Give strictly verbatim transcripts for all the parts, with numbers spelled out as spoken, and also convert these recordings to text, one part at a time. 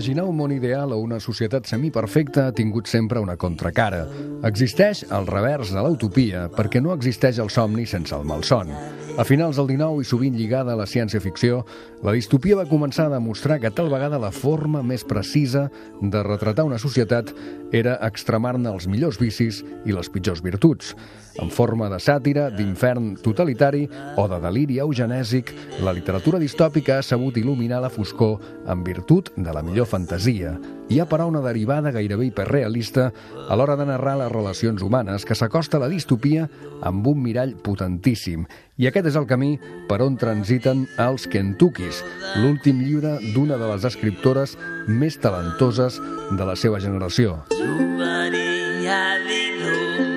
Imaginar un món ideal o una societat semiperfecta ha tingut sempre una contracara. Existeix el revers de l'utopia perquè no existeix el somni sense el malson. A finals del dinou i sovint lligada a la ciència-ficció, la distopia va començar a demostrar que tal vegada la forma més precisa de retratar una societat era extremar-ne els millors vicis i les pitjors virtuts. En forma de sàtira, d'infern totalitari o de deliri eugenèsic, la literatura distòpica ha sabut il·luminar la foscor en virtut de la millor fantasia. Hi ha, però, una derivada gairebé hiperrealista a l'hora de narrar les relacions humanes que s'acosta a la distopia amb un mirall potentíssim. I aquest és el camí per on transiten els Kentuckys, l'últim llibre d'una de les escriptores més talentoses de la seva generació.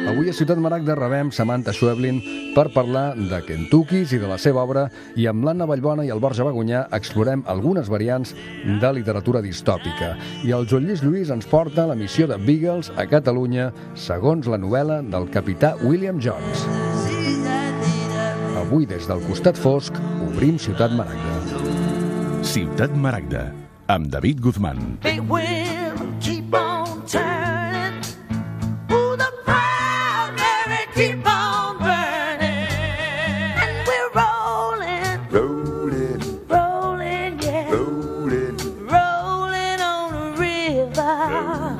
Avui a Ciutat Maragda rebem Samantha Schweblin per parlar de Kentuckys i de la seva obra, i amb l'Anna Vallbona i el Borja Bagunyà explorem algunes variants de literatura distòpica. I el Joan Lluís Lluís ens porta la missió de Beagles a Catalunya segons la novel·la del capità William Jones. Avui, des del costat fosc, obrim Ciutat Maragda. Ciutat Maragda, amb David Guzmán. Big wheel, keep on turning. Ooh, the proud Mary, keep on burning. And we're rolling, Rolling, rolling, yeah. rolling, Rolling on the river.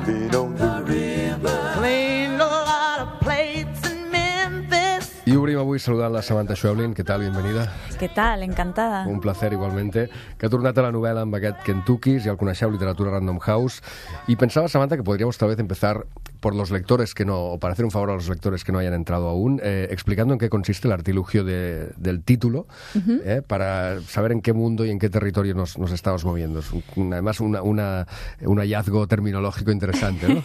rolling on the river. Cleaned a lot of plates in Memphis. Y obrim avui saludant la Samantha Schweblin. ¿Qué tal? Bienvenida. ¿Qué tal? Encantada. Un placer igualmente, que ha tornat a la novel·la amb aquest Kentuckys, ja el coneixeu, literatura Random House, y pensaba, Samantha, que podríamos tal vez empezar por los lectores que no, o para hacer un favor a los lectores que no hayan entrado aún, eh, explicando en qué consiste el artilugio de, del título, uh-huh. eh, para saber en qué mundo y en qué territorio nos, nos estamos moviendo. Es un, además una, una, un hallazgo terminológico interesante, ¿no?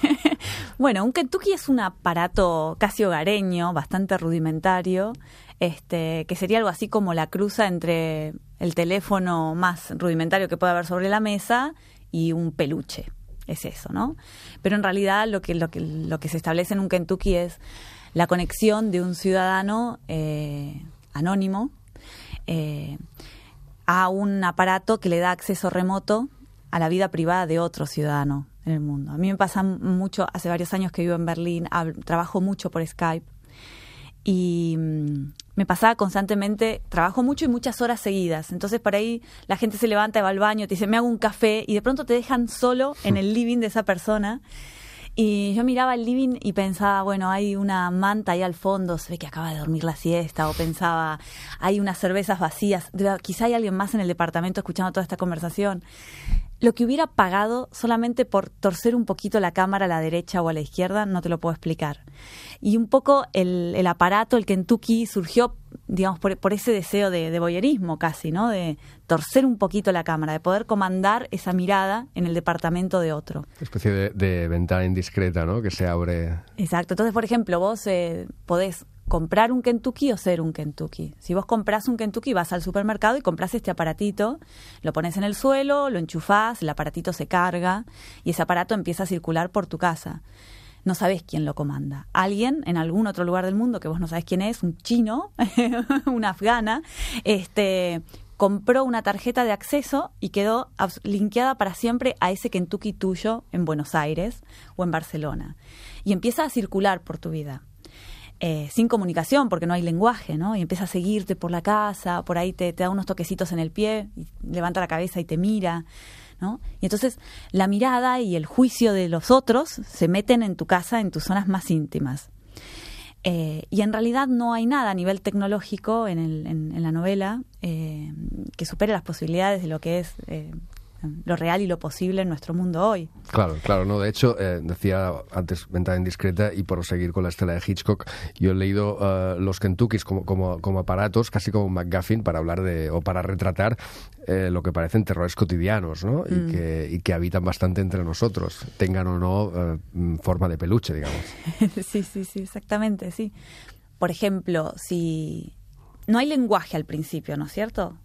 Bueno, un Kentucky es un aparato casi hogareño, bastante rudimentario, este, que sería algo así como la cruza entre el teléfono más rudimentario que puede haber sobre la mesa y un peluche. Es eso, ¿no? Pero en realidad lo que, lo que, lo que se establece en un Kentucky es la conexión de un ciudadano eh, anónimo eh, a un aparato que le da acceso remoto a la vida privada de otro ciudadano en el mundo. A mí me pasa mucho, hace varios años que vivo en Berlín, hablo, trabajo mucho por Skype, y mmm, me pasaba constantemente, trabajo mucho y muchas horas seguidas. Entonces por ahí la gente se levanta, va al baño, te dice, me hago un café, y de pronto te dejan solo en el living de esa persona. Y yo miraba el living y pensaba, bueno, hay una manta ahí al fondo, se ve que acaba de dormir la siesta, o pensaba, hay unas cervezas vacías, quizá hay alguien más en el departamento escuchando toda esta conversación. Lo que hubiera pagado solamente por torcer un poquito la cámara a la derecha o a la izquierda, no te lo puedo explicar. Y un poco el, el aparato, el Kentucky, surgió, digamos, por, por ese deseo de, de voyerismo casi, ¿no? De torcer un poquito la cámara, de poder comandar esa mirada en el departamento de otro. Una especie de, de ventana indiscreta, ¿no? Que se abre. Exacto. Entonces, por ejemplo, vos eh, podés comprar un Kentucky o ser un Kentucky. Si vos comprás un Kentucky, vas al supermercado y comprás este aparatito, lo pones en el suelo, lo enchufás, el aparatito se carga y ese aparato empieza a circular por tu casa. No sabés quién lo comanda. Alguien en algún otro lugar del mundo que vos no sabés quién es, un chino, una afgana, este, compró una tarjeta de acceso y quedó linkeada para siempre a ese Kentucky tuyo en Buenos Aires o en Barcelona. Y empieza a circular por tu vida. Eh, sin comunicación, porque no hay lenguaje, ¿no? Y empieza a seguirte por la casa, por ahí te, te da unos toquecitos en el pie, y levanta la cabeza y te mira, ¿no? Y entonces la mirada y el juicio de los otros se meten en tu casa, en tus zonas más íntimas. Eh, y en realidad no hay nada a nivel tecnológico en, el, en, en la novela eh, que supere las posibilidades de lo que es eh, lo real y lo posible en nuestro mundo hoy. Claro, claro, no. De hecho, eh, decía antes Ventana Indiscreta, y por seguir con la estela de Hitchcock, yo he leído uh, los Kentuckys como, como, como aparatos, casi como MacGuffin, para hablar de, o para retratar eh, lo que parecen terrores cotidianos, ¿no? Mm. Y, que, y que habitan bastante entre nosotros, tengan o no uh, forma de peluche, digamos. Sí, sí, sí, exactamente, sí. Por ejemplo, si no hay lenguaje al principio, ¿no es cierto?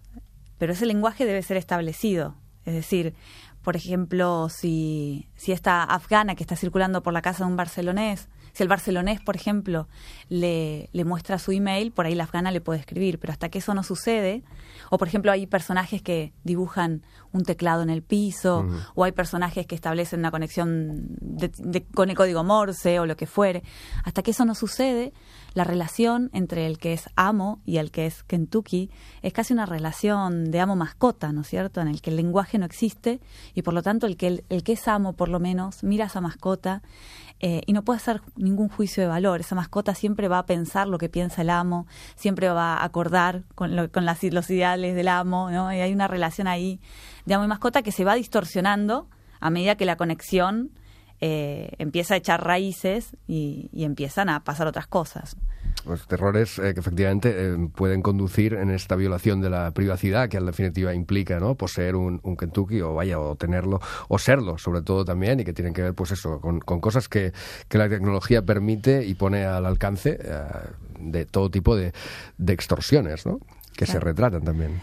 Pero ese lenguaje debe ser establecido. Es decir, por ejemplo, si si esta afgana que está circulando por la casa de un barcelonés, si el barcelonés, por ejemplo, le, le muestra su email, por ahí la afgana le puede escribir, pero hasta que eso no sucede, o por ejemplo hay personajes que dibujan un teclado en el piso, uh-huh. o hay personajes que establecen una conexión de, de, con el código Morse o lo que fuere, hasta que eso no sucede, la relación entre el que es amo y el que es Kentucky es casi una relación de amo-mascota, ¿no es cierto?, en el que el lenguaje no existe y por lo tanto el que, el, el que es amo, por lo menos, mira a esa mascota eh, y no puede hacer ningún juicio de valor. Esa mascota siempre va a pensar lo que piensa el amo, siempre va a acordar con, lo, con las, los ideales del amo, ¿no? Y hay una relación ahí de amo y mascota que se va distorsionando a medida que la conexión eh, empieza a echar raíces y, y empiezan a pasar otras cosas. Los terrores eh, que efectivamente eh, pueden conducir en esta violación de la privacidad que en definitiva implica, ¿no?, poseer un, un Kentucky o vaya o tenerlo o serlo sobre todo también, y que tienen que ver pues eso con, con cosas que, que la tecnología permite y pone al alcance eh, de todo tipo de, de extorsiones, ¿no?, que claro. se retratan también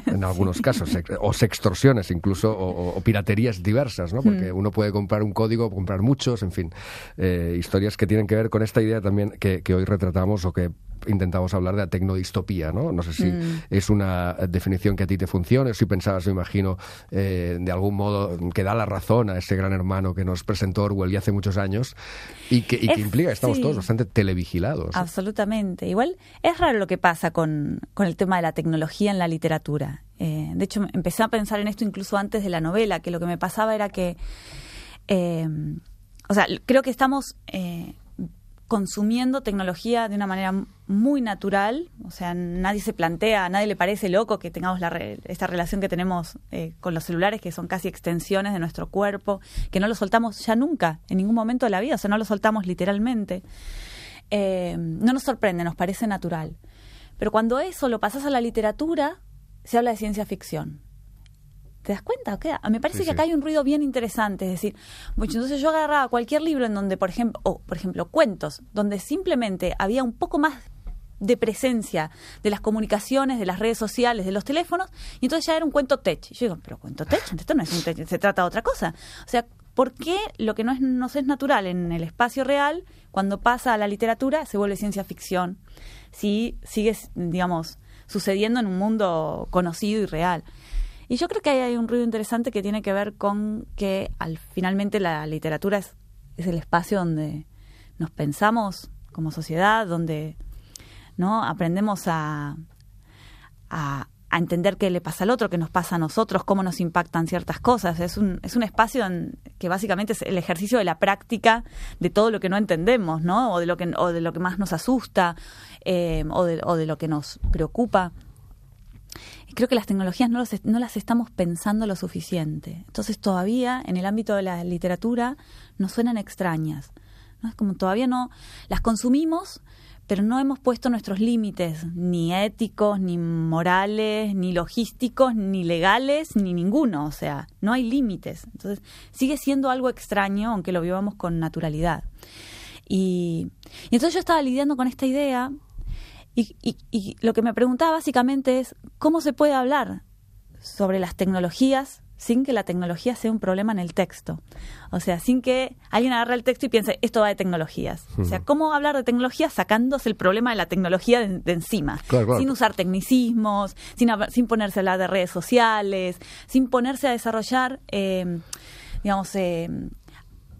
en algunos sí. casos, o sextorsiones incluso, o, o piraterías diversas, ¿no? Porque mm. uno puede comprar un código, comprar muchos, en fin, eh, historias que tienen que ver con esta idea también que, que hoy retratamos o que intentamos hablar de la tecnodistopía, ¿no? No sé si mm. es una definición que a ti te funcione, o si pensabas, me imagino, eh, de algún modo que da la razón a ese gran hermano que nos presentó Orwell ya hace muchos años y que, y que es, implica que estamos sí. todos bastante televigilados. Absolutamente. Igual es raro lo que pasa con, con el tema de la tecnología en la literatura. Eh, de hecho, empecé a pensar en esto incluso antes de la novela, que lo que me pasaba era que, eh, o sea, creo que estamos eh, consumiendo tecnología de una manera muy natural, o sea, nadie se plantea, a nadie le parece loco que tengamos la re, esta relación que tenemos eh, con los celulares, que son casi extensiones de nuestro cuerpo, que no lo soltamos ya nunca, en ningún momento de la vida, o sea, no lo soltamos literalmente. Eh, no nos sorprende, nos parece natural. Pero cuando eso lo pasas a la literatura, se habla de ciencia ficción. ¿Te das cuenta? ¿Qué? Me parece sí, que acá sí. hay un ruido bien interesante. Es decir, mucho, entonces yo agarraba cualquier libro en donde, por ejemplo, o por ejemplo, cuentos, donde simplemente había un poco más de presencia de las comunicaciones, de las redes sociales, de los teléfonos, y entonces ya era un cuento tech. Y yo digo, pero cuento tech, esto no es un tech, se trata de otra cosa. O sea, ¿por qué lo que no es, nos es natural en el espacio real, cuando pasa a la literatura, se vuelve ciencia ficción? Si sigue, digamos, sucediendo en un mundo conocido y real. Y yo creo que ahí hay un ruido interesante que tiene que ver con que al finalmente la literatura es, es el espacio donde nos pensamos como sociedad, donde no aprendemos a, a, a entender qué le pasa al otro, qué nos pasa a nosotros, cómo nos impactan ciertas cosas. Es un, es un espacio en, que básicamente es el ejercicio de la práctica de todo lo que no entendemos, ¿no? O de lo que, o de lo que más nos asusta, eh, o, de, o de lo que nos preocupa. Creo que las tecnologías no, los, no las estamos pensando lo suficiente. Entonces todavía en el ámbito de la literatura nos suenan extrañas, ¿no? Es como todavía no las consumimos, pero no hemos puesto nuestros límites, ni éticos, ni morales, ni logísticos, ni legales, ni ninguno. O sea, no hay límites. Entonces sigue siendo algo extraño, aunque lo vivamos con naturalidad. Y, y entonces yo estaba lidiando con esta idea. Y, y, y lo que me preguntaba básicamente es cómo se puede hablar sobre las tecnologías sin que la tecnología sea un problema en el texto. O sea, sin que alguien agarre el texto y piense, esto va de tecnologías. Uh-huh. O sea, ¿cómo hablar de tecnología sacándose el problema de la tecnología de, de encima? Claro, claro. Sin usar tecnicismos, sin, sin ponerse a hablar de redes sociales, sin ponerse a desarrollar, eh, digamos, eh,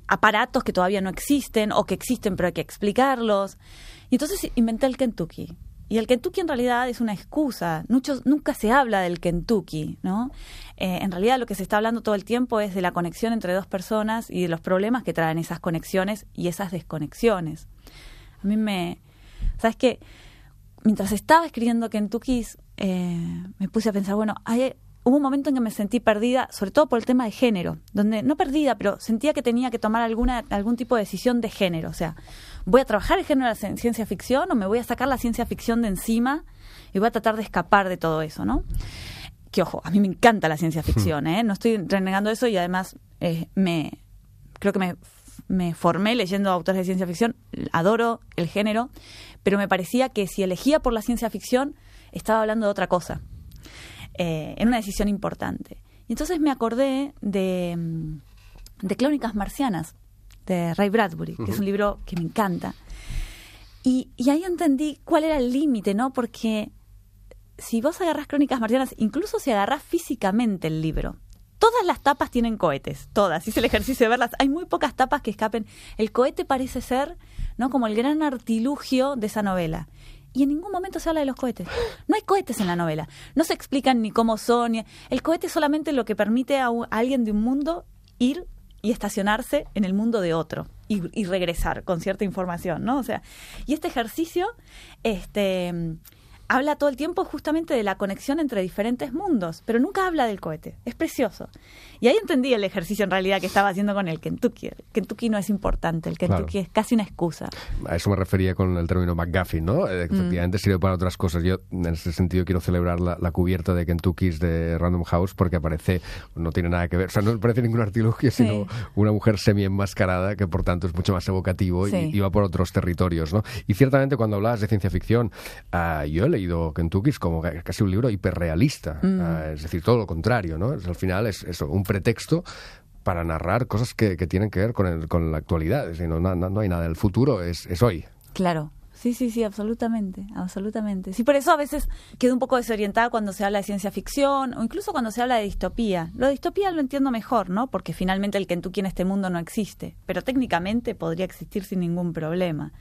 aparatos que todavía no existen o que existen pero hay que explicarlos. Y entonces inventé el Kentucky. Y el Kentucky en realidad es una excusa. Muchos, nunca se habla del Kentucky, ¿no? Eh, en realidad lo que se está hablando todo el tiempo es de la conexión entre dos personas y de los problemas que traen esas conexiones y esas desconexiones. A mí me... ¿Sabes qué? Mientras estaba escribiendo Kentucky, eh, me puse a pensar, bueno, hay... Hubo un momento en que me sentí perdida, sobre todo por el tema de género, donde no perdida, pero sentía que tenía que tomar alguna algún tipo de decisión de género. O sea, ¿voy a trabajar el género de la ciencia ficción o me voy a sacar la ciencia ficción de encima y voy a tratar de escapar de todo eso, ¿no? Que, ojo, a mí me encanta la ciencia ficción, ¿eh? No estoy renegando eso y además eh, me creo que me, me formé leyendo autores de ciencia ficción, adoro el género, pero me parecía que si elegía por la ciencia ficción estaba hablando de otra cosa. Eh, en una decisión importante. Y entonces me acordé de, de Crónicas Marcianas, de Ray Bradbury, que uh-huh. es un libro que me encanta. Y, y ahí entendí cuál era el límite, ¿no? Porque si vos agarrás Crónicas Marcianas, incluso si agarrás físicamente el libro, todas las tapas tienen cohetes, todas. Hice el ejercicio de verlas. Hay muy pocas tapas que escapen. El cohete parece ser, ¿no?, como el gran artilugio de esa novela. Y en ningún momento se habla de los cohetes. No hay cohetes en la novela. No se explican ni cómo son. Ni... El cohete es solamente lo que permite a, un, a alguien de un mundo ir y estacionarse en el mundo de otro y, y regresar con cierta información, ¿no? O sea, y este ejercicio este, habla todo el tiempo justamente de la conexión entre diferentes mundos, pero nunca habla del cohete. Es precioso. Y ahí entendí el ejercicio en realidad que estaba haciendo con el Kentucky. El Kentucky no es importante, el Kentucky claro. es casi una excusa. A eso me refería con el término McGuffin, ¿no? Eh, efectivamente mm. sirve para otras cosas. Yo en ese sentido quiero celebrar la, la cubierta de Kentuckys de Random House porque aparece, no tiene nada que ver, o sea, no parece ningún artilugio, sino sí. una mujer semi-enmascarada que por tanto es mucho más evocativo sí. y, y va por otros territorios, ¿no? Y ciertamente cuando hablabas de ciencia ficción, uh, yo he leído Kentuckys como casi un libro hiperrealista, mm. uh, es decir, todo lo contrario, ¿no? Es, al final es eso, un pretexto para narrar cosas que, que tienen que ver con, el, con la actualidad. Es decir, no, no, no hay nada, el futuro es, es hoy. Claro, sí, sí, sí, absolutamente, absolutamente. Sí, por eso a veces quedo un poco desorientada cuando se habla de ciencia ficción o incluso cuando se habla de distopía. Lo de distopía lo entiendo mejor, ¿no? Porque finalmente el Kentucky en este mundo no existe, pero técnicamente podría existir sin ningún problema.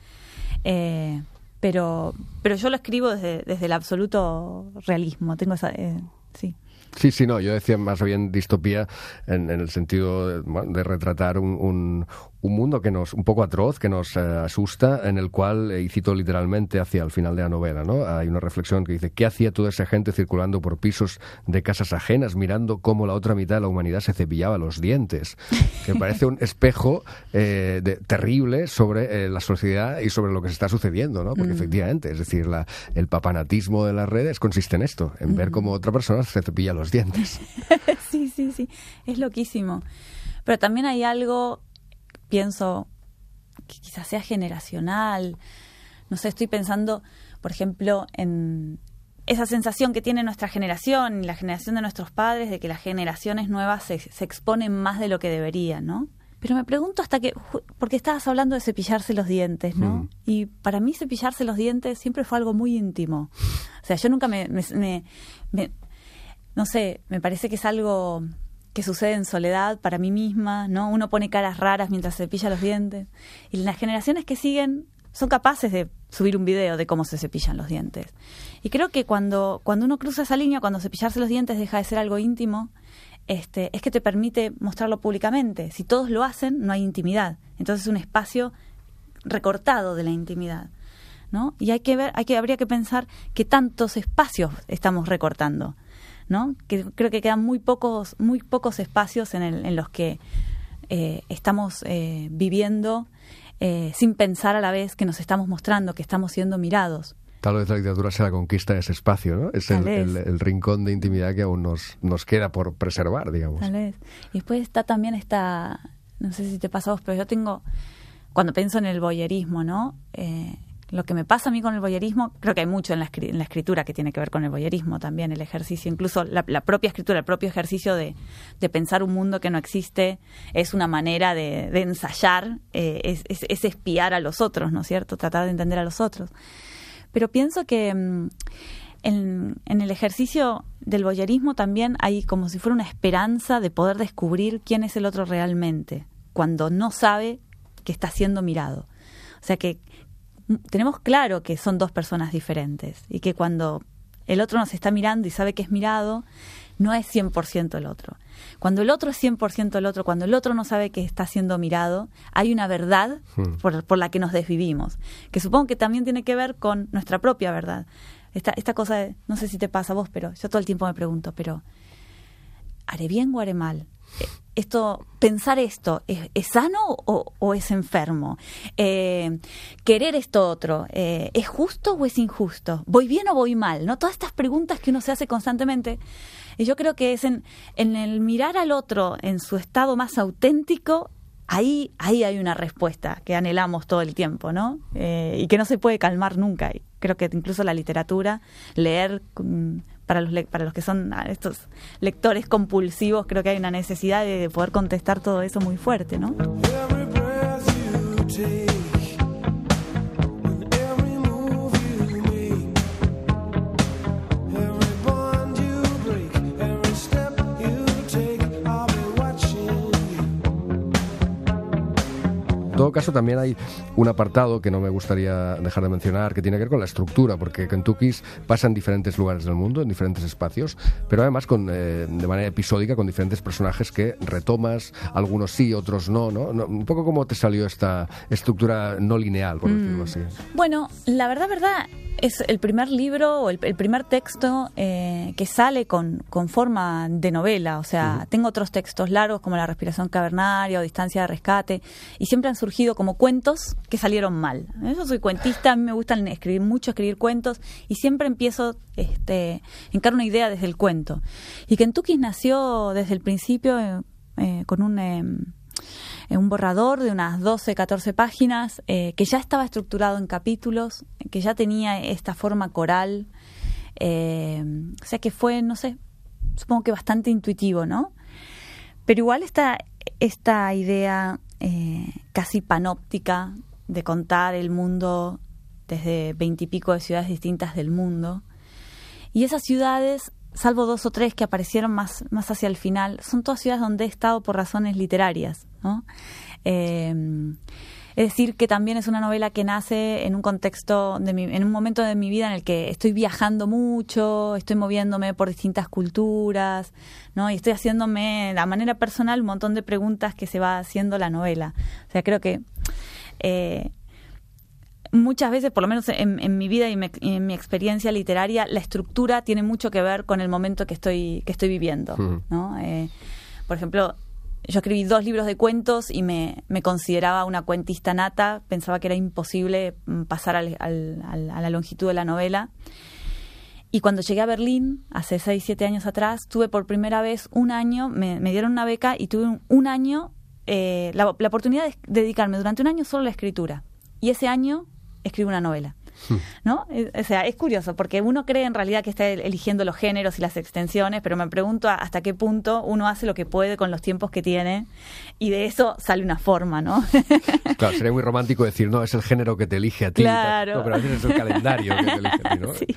Eh, pero, pero yo lo escribo desde, desde el absoluto realismo, tengo esa... Eh, sí. Sí, sí, no, yo decía más bien distopía en, en el sentido de, bueno, de retratar un, un, un mundo que nos, un poco atroz, que nos eh, asusta, en el cual, y cito literalmente hacia el final de la novela, ¿no? Hay una reflexión que dice, ¿qué hacía toda esa gente circulando por pisos de casas ajenas, mirando cómo la otra mitad de la humanidad se cepillaba los dientes? Que parece un espejo eh, de, terrible sobre eh, la sociedad y sobre lo que se está sucediendo, ¿no? Porque mm. efectivamente, es decir, la, el papanatismo de las redes consiste en esto, en mm. ver cómo otra persona se cepilla los dientes. Sí, sí, sí, es loquísimo. Pero también hay algo, pienso, que quizás sea generacional. No sé, estoy pensando, por ejemplo, en esa sensación que tiene nuestra generación y la generación de nuestros padres de que las generaciones nuevas se, se exponen más de lo que deberían, ¿no? Pero me pregunto hasta que, porque estabas hablando de cepillarse los dientes, ¿no? Mm. Y para mí cepillarse los dientes siempre fue algo muy íntimo. O sea, yo nunca me... me, me, me no sé, me parece que es algo que sucede en soledad para mí misma, ¿no? Uno pone caras raras mientras se cepilla los dientes. Y las generaciones que siguen son capaces de subir un video de cómo se cepillan los dientes. Y creo que cuando, cuando uno cruza esa línea, cuando cepillarse los dientes deja de ser algo íntimo, este, es que te permite mostrarlo públicamente. Si todos lo hacen, no hay intimidad. Entonces es un espacio recortado de la intimidad, ¿no? Y hay que ver, hay que, habría que pensar qué tantos espacios estamos recortando, ¿no? Que creo que quedan muy pocos, muy pocos espacios en, el, en los que eh, estamos eh, viviendo eh, sin pensar a la vez que nos estamos mostrando, que estamos siendo mirados. Tal vez la literatura sea la conquista de ese espacio, ¿no? Es el, el, el rincón de intimidad que aún nos, nos queda por preservar, digamos. Tal vez. Y después está también esta, no sé si te pasa a vos, pero yo tengo, cuando pienso en el voyerismo, ¿no? Eh, Lo que me pasa a mí con el voyerismo, creo que hay mucho en la, escri- en la escritura que tiene que ver con el voyerismo también, el ejercicio, incluso la, la propia escritura, el propio ejercicio de, de pensar un mundo que no existe, es una manera de, de ensayar, eh, es, es, es espiar a los otros, ¿no es cierto? Tratar de entender a los otros. Pero pienso que mmm, en, en el ejercicio del voyerismo también hay como si fuera una esperanza de poder descubrir quién es el otro realmente, cuando no sabe que está siendo mirado. O sea que tenemos claro que son dos personas diferentes y que cuando el otro nos está mirando y sabe que es mirado, no es cien por ciento el otro. Cuando el otro es cien por ciento el otro, cuando el otro no sabe que está siendo mirado, hay una verdad hmm. por, por la que nos desvivimos, que supongo que también tiene que ver con nuestra propia verdad. Esta, esta cosa, de, no sé si te pasa a vos, pero yo todo el tiempo me pregunto, pero ¿haré bien o haré mal? Esto, pensar esto, ¿es, es sano o, o es enfermo? Eh, querer esto otro, eh, ¿es justo o es injusto? ¿Voy bien o voy mal? ¿No? Todas estas preguntas que uno se hace constantemente. Y yo creo que es en, en el mirar al otro en su estado más auténtico, ahí, ahí hay una respuesta que anhelamos todo el tiempo, ¿no? Eh, y que no se puede calmar nunca. Y creo que incluso la literatura, leer... Um, Para los, le- para los que son estos lectores compulsivos, creo que hay una necesidad de, de poder contestar todo eso muy fuerte, ¿no? Every breath you take, and every move you make, every bond you break, every step you take, I'll be watching you. En todo caso, también hay un apartado que no me gustaría dejar de mencionar, que tiene que ver con la estructura, porque Kentuckys pasa en diferentes lugares del mundo, en diferentes espacios, pero además con, eh, de manera episódica, con diferentes personajes que retomas, algunos sí, otros no, ¿no? No, un poco cómo te salió esta estructura no lineal, por decirlo así. Bueno, la verdad, verdad, es el primer libro o el, el primer texto eh, que sale con, con forma de novela. O sea, uh-huh. tengo otros textos largos como La respiración cavernaria o Distancia de rescate, y siempre han surgido como cuentos que salieron mal. Yo soy cuentista, a mí me gusta escribir mucho, escribir cuentos, y siempre empiezo, este, encaro una idea desde el cuento. Y Kentuckys nació desde el principio eh, eh, con un... Eh, un borrador de unas doce, catorce páginas, eh, que ya estaba estructurado en capítulos, que ya tenía esta forma coral, eh, o sea que fue, no sé, supongo que bastante intuitivo, ¿no? Pero igual esta, esta idea eh, casi panóptica de contar el mundo desde veintipico de ciudades distintas del mundo, y esas ciudades, salvo dos o tres que aparecieron más, más hacia el final, son todas ciudades donde he estado por razones literarias, ¿no? Eh, es decir, que también es una novela que nace en un contexto, de mi, en un momento de mi vida en el que estoy viajando mucho, estoy moviéndome por distintas culturas, ¿no? Y estoy haciéndome, de manera personal, un montón de preguntas que se va haciendo la novela. O sea, creo que... Eh, muchas veces, por lo menos en, en mi vida y me, en mi experiencia literaria, la estructura tiene mucho que ver con el momento que estoy que estoy viviendo, uh-huh. ¿no? Eh, por ejemplo, yo escribí dos libros de cuentos y me, me consideraba una cuentista nata, pensaba que era imposible pasar al, al, al, a la longitud de la novela. Y cuando llegué a Berlín, hace seis, siete años atrás, tuve por primera vez un año, me, me dieron una beca y tuve un, un año, eh, la, la oportunidad de dedicarme durante un año solo a la escritura. Y ese año escribo una novela, ¿no? O sea, es curioso, porque uno cree en realidad que está eligiendo los géneros y las extensiones, pero me pregunto hasta qué punto uno hace lo que puede con los tiempos que tiene, y de eso sale una forma, ¿no? Claro, sería muy romántico decir, no, es el género que te elige a ti. Claro. No, pero a veces es el calendario que te elige a ti, ¿no? Sí.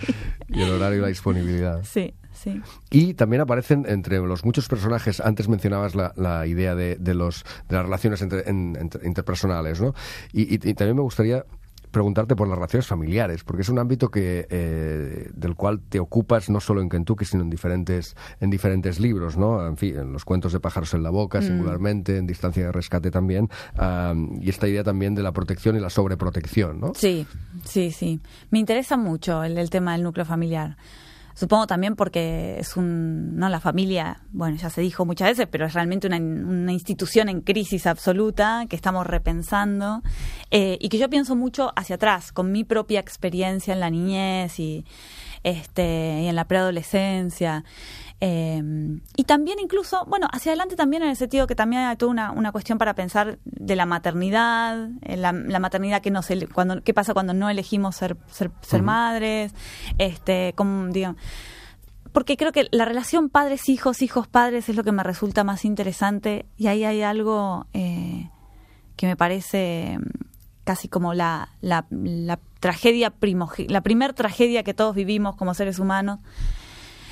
Y el horario y la disponibilidad. Sí. Sí. Y también aparecen entre los muchos personajes, antes mencionabas la, la idea de, de, los, de las relaciones entre, en, entre, interpersonales, ¿no? Y, y, y también me gustaría preguntarte por las relaciones familiares, porque es un ámbito que eh, del cual te ocupas no solo en Kentucky, sino en diferentes en diferentes libros, ¿no? En fin, en los cuentos de pájaros en la boca, mm. singularmente, en Distancia de rescate también, um, y esta idea también de la protección y la sobreprotección, ¿no? Sí, sí, sí. Me interesa mucho el, el tema del núcleo familiar. Supongo también porque es un, no la familia, bueno, ya se dijo muchas veces, pero es realmente una, una institución en crisis absoluta que estamos repensando, eh, y que yo pienso mucho hacia atrás, con mi propia experiencia en la niñez y, este, y en la preadolescencia. Eh, y también incluso, bueno, hacia adelante también en el sentido que también hay toda una, una cuestión para pensar de la maternidad, la, la maternidad que no se, cuando, qué pasa cuando no elegimos ser, ser, ser uh-huh. madres, este, como, digamos, porque creo que la relación padres-hijos, hijos-padres es lo que me resulta más interesante, y ahí hay algo eh, que me parece casi como la, la, la tragedia primoge- la primer tragedia que todos vivimos como seres humanos.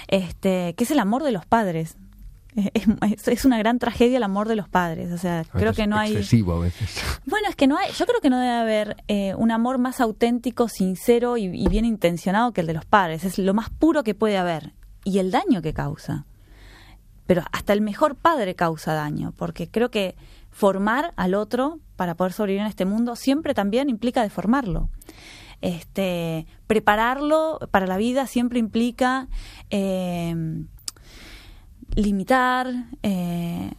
Este, que es el amor de los padres. Es, es una gran tragedia el amor de los padres. O sea, creo que no hay... excesivo a veces. Bueno, es que no hay... Yo creo que no debe haber eh, un amor más auténtico, sincero y, y bien intencionado que el de los padres. Es lo más puro que puede haber. Y el daño que causa. Pero hasta el mejor padre causa daño. Porque creo que formar al otro para poder sobrevivir en este mundo siempre también implica deformarlo. Este, prepararlo para la vida siempre implica eh, limitar, eh,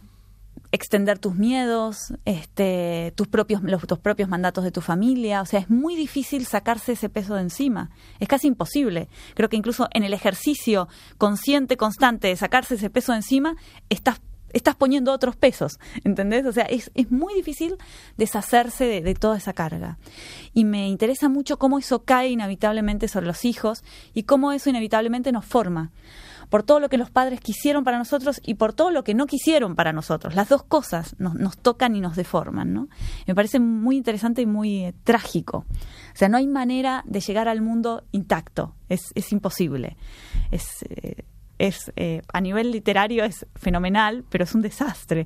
extender tus miedos, este, tus propios, los, tus propios mandatos de tu familia. O sea, es muy difícil sacarse ese peso de encima. Es casi imposible. Creo que incluso en el ejercicio consciente, constante de sacarse ese peso de encima, estás estás poniendo otros pesos, ¿entendés? O sea, es, es muy difícil deshacerse de, de toda esa carga. Y me interesa mucho cómo eso cae inevitablemente sobre los hijos y cómo eso inevitablemente nos forma. Por todo lo que los padres quisieron para nosotros y por todo lo que no quisieron para nosotros. Las dos cosas nos, nos tocan y nos deforman, ¿no? Me parece muy interesante y muy eh, trágico. O sea, no hay manera de llegar al mundo intacto. Es, es imposible. Es... Eh, es eh, a nivel literario es fenomenal, pero es un desastre.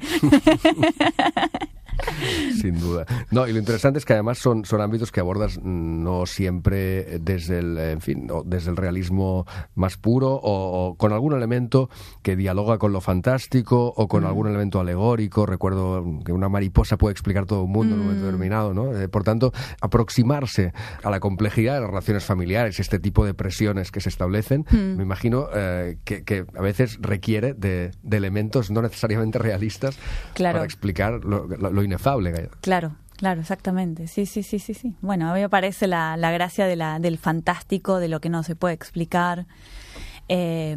Sin duda. No, y lo interesante es que además son, son ámbitos que abordas no siempre desde el, en fin, o desde el realismo más puro o, o con algún elemento que dialoga con lo fantástico o con mm. algún elemento alegórico. Recuerdo que una mariposa puede explicar todo un mundo mm. en un momento determinado, ¿no? Eh, por tanto, aproximarse a la complejidad de las relaciones familiares, este tipo de presiones que se establecen, mm. me imagino eh, que, que a veces requiere de, de elementos no necesariamente realistas claro. para explicar lo, lo, lo inefable. Claro, claro, exactamente. Sí, sí, sí, sí, sí. Bueno, a mí me parece la, la gracia de la, del fantástico, de lo que no se puede explicar. Eh,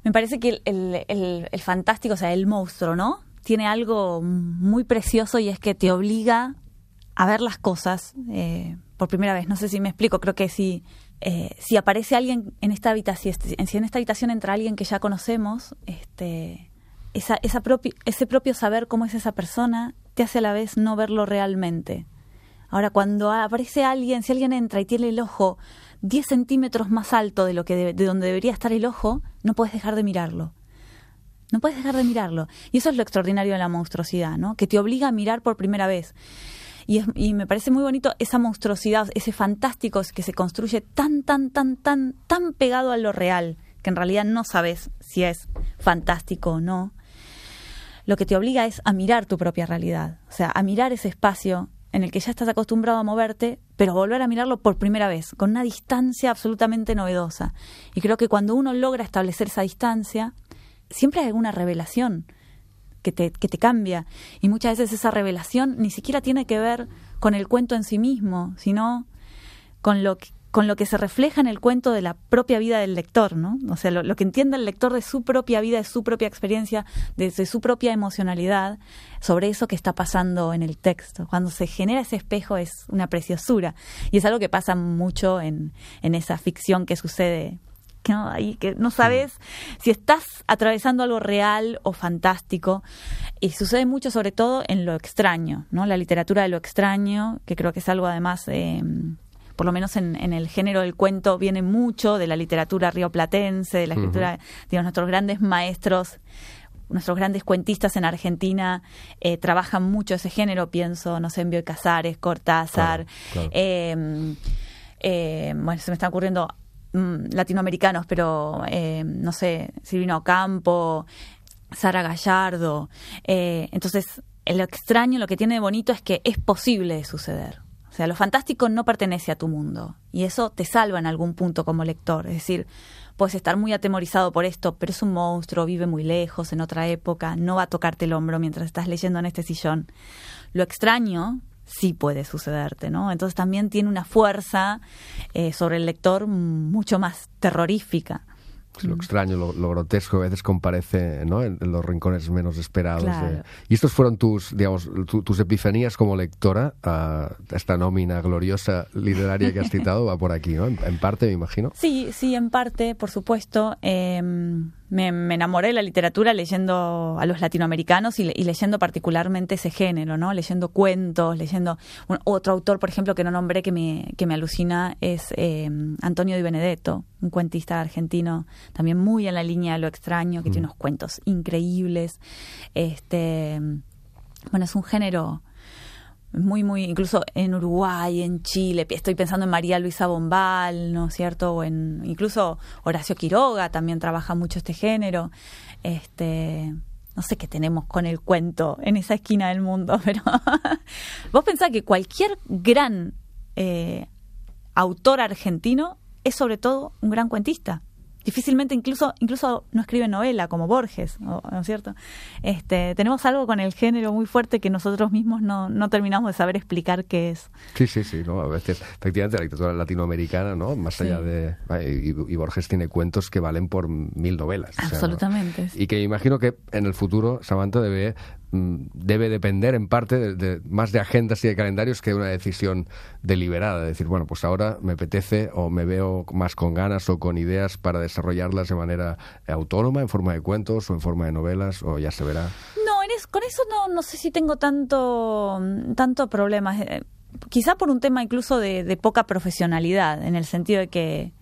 me parece que el, el, el, el fantástico, o sea, el monstruo, ¿no? Tiene algo muy precioso y es que te obliga a ver las cosas eh, por primera vez. No sé si me explico, creo que si, eh, si aparece alguien en esta habitación, si en esta habitación entra alguien que ya conocemos, este... Esa, esa propi, ese propio saber cómo es esa persona te hace a la vez no verlo realmente. Ahora, cuando aparece alguien, si alguien entra y tiene el ojo diez centímetros más alto de lo que de, de donde debería estar el ojo, no puedes dejar de mirarlo. No puedes dejar de mirarlo. Y eso es lo extraordinario de la monstruosidad, ¿no? Que te obliga a mirar por primera vez. Y, es, y me parece muy bonito esa monstruosidad, ese fantástico que se construye tan, tan, tan, tan, tan pegado a lo real, que en realidad no sabes si es fantástico o no. Lo que te obliga es a mirar tu propia realidad, o sea, a mirar ese espacio en el que ya estás acostumbrado a moverte, pero volver a mirarlo por primera vez, con una distancia absolutamente novedosa. Y creo que cuando uno logra establecer esa distancia, siempre hay alguna revelación que te, que te cambia. Y muchas veces esa revelación ni siquiera tiene que ver con el cuento en sí mismo, sino con lo que con lo que se refleja en el cuento de la propia vida del lector, ¿no? O sea, lo, lo que entiende el lector de su propia vida, de su propia experiencia, de, de su propia emocionalidad, sobre eso que está pasando en el texto. Cuando se genera ese espejo es una preciosura. Y es algo que pasa mucho en, en esa ficción que sucede, que no, ahí, que no sabes sí. si estás atravesando algo real o fantástico. Y sucede mucho, sobre todo, en lo extraño, ¿no? La literatura de lo extraño, que creo que es algo además... Eh, por lo menos en, en el género del cuento, viene mucho de la literatura rioplatense, de la escritura, uh-huh. de nuestros grandes maestros, nuestros grandes cuentistas en Argentina eh, trabajan mucho ese género, pienso, no sé, en Bioy Casares, Cortázar, claro, claro. Eh, eh, bueno, se me están ocurriendo mm, latinoamericanos, pero eh, no sé, Silvino Ocampo, Sara Gallardo. Eh, entonces, lo extraño, lo que tiene de bonito es que es posible de suceder. O sea, lo fantástico no pertenece a tu mundo y eso te salva en algún punto como lector. Es decir, puedes estar muy atemorizado por esto, pero es un monstruo, vive muy lejos, en otra época, no va a tocarte el hombro mientras estás leyendo en este sillón. Lo extraño sí puede sucederte, ¿no? Entonces también tiene una fuerza eh, sobre el lector mucho más terrorífica. Lo extraño, lo, lo grotesco a veces comparece, ¿no? en, en los rincones menos esperados. Claro. De... Y estos fueron tus, digamos, tu, tus epifanías como lectora. Uh, esta nómina gloriosa literaria que has citado va por aquí, ¿no? En, en parte, me imagino. Sí, sí, en parte, por supuesto. Eh, me, me enamoré de la literatura leyendo a los latinoamericanos y, le, y leyendo particularmente ese género, ¿no? Leyendo cuentos, leyendo... Un, otro autor, por ejemplo, que no nombré, que me, que me alucina, es eh, Antonio Di Benedetto, un cuentista argentino también muy en la línea de lo extraño, que mm. tiene unos cuentos increíbles. Este, bueno, es un género muy, muy, incluso en Uruguay, en Chile, estoy pensando en María Luisa Bombal, ¿no es cierto? O en, incluso Horacio Quiroga también trabaja mucho este género. Este, no sé qué tenemos con el cuento en esa esquina del mundo, pero vos pensás que cualquier gran eh, autor argentino es sobre todo un gran cuentista. difícilmente incluso incluso no escriben novela como Borges, ¿no, ¿no es cierto? Este, tenemos algo con el género muy fuerte que nosotros mismos no, no terminamos de saber explicar qué es. Sí, sí, sí, ¿no? A veces, efectivamente, la literatura latinoamericana, ¿no? Más Sí. allá de... Y, y Borges tiene cuentos que valen por mil novelas. o sea, ¿no? Absolutamente. Y que imagino que en el futuro, Samantha, debe, mm, debe depender en parte de, de- más de agendas y de calendarios que de una decisión deliberada. De decir, bueno, pues ahora me apetece o me veo más con ganas o con ideas para desarrollarlas de manera autónoma, en forma de cuentos o en forma de novelas, o ya se verá. No, en es- con eso no, no sé si tengo tanto, tanto problema. Eh, quizá por un tema incluso de, de poca profesionalidad, en el sentido de que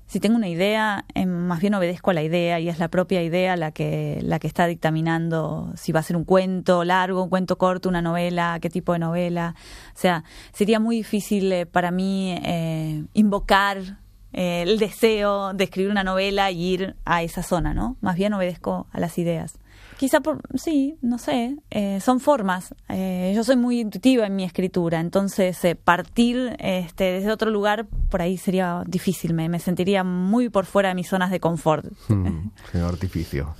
si tengo una idea, eh, más bien obedezco a la idea y es la propia idea la que, la que está dictaminando si va a ser un cuento largo, un cuento corto, una novela, qué tipo de novela. O sea, sería muy difícil eh, para mí eh, invocar eh, el deseo de escribir una novela y ir a esa zona, ¿no? Más bien obedezco a las ideas. Quizá por, sí, no sé, eh, son formas. Eh, yo soy muy intuitiva en mi escritura, entonces eh, partir este, desde otro lugar por ahí sería difícil, me, me sentiría muy por fuera de mis zonas de confort. Hmm, señor artificio.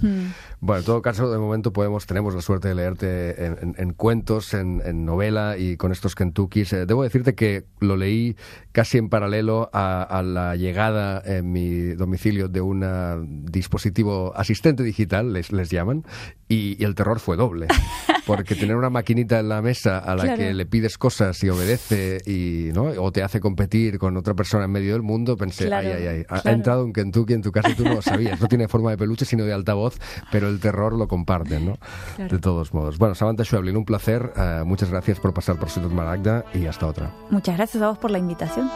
Bueno, en todo caso, de momento podemos tenemos la suerte de leerte en, en- en cuentos, en, en novela y con estos Kentuckys. Eh, debo decirte que lo leí casi en paralelo a, a la llegada en mi domicilio de un dispositivo asistente digital, les, les llaman, y, y el terror fue doble. Porque tener una maquinita en la mesa a la Claro. que le pides cosas y obedece y no o te hace competir con otra persona en medio del mundo, pensé, Claro, ay, ay, ay, ha, ha claro. entrado un Kentucky en tu casa y tú no lo sabías. No tiene forma de peluche, sino de altavoz, pero el terror lo comparten, ¿no? Claro. De todos modos. Bueno, Samantha Schweblin, un placer. eh, muchas gracias por pasar por Ciutat Maragda y hasta otra. Muchas gracias a vos por la invitación.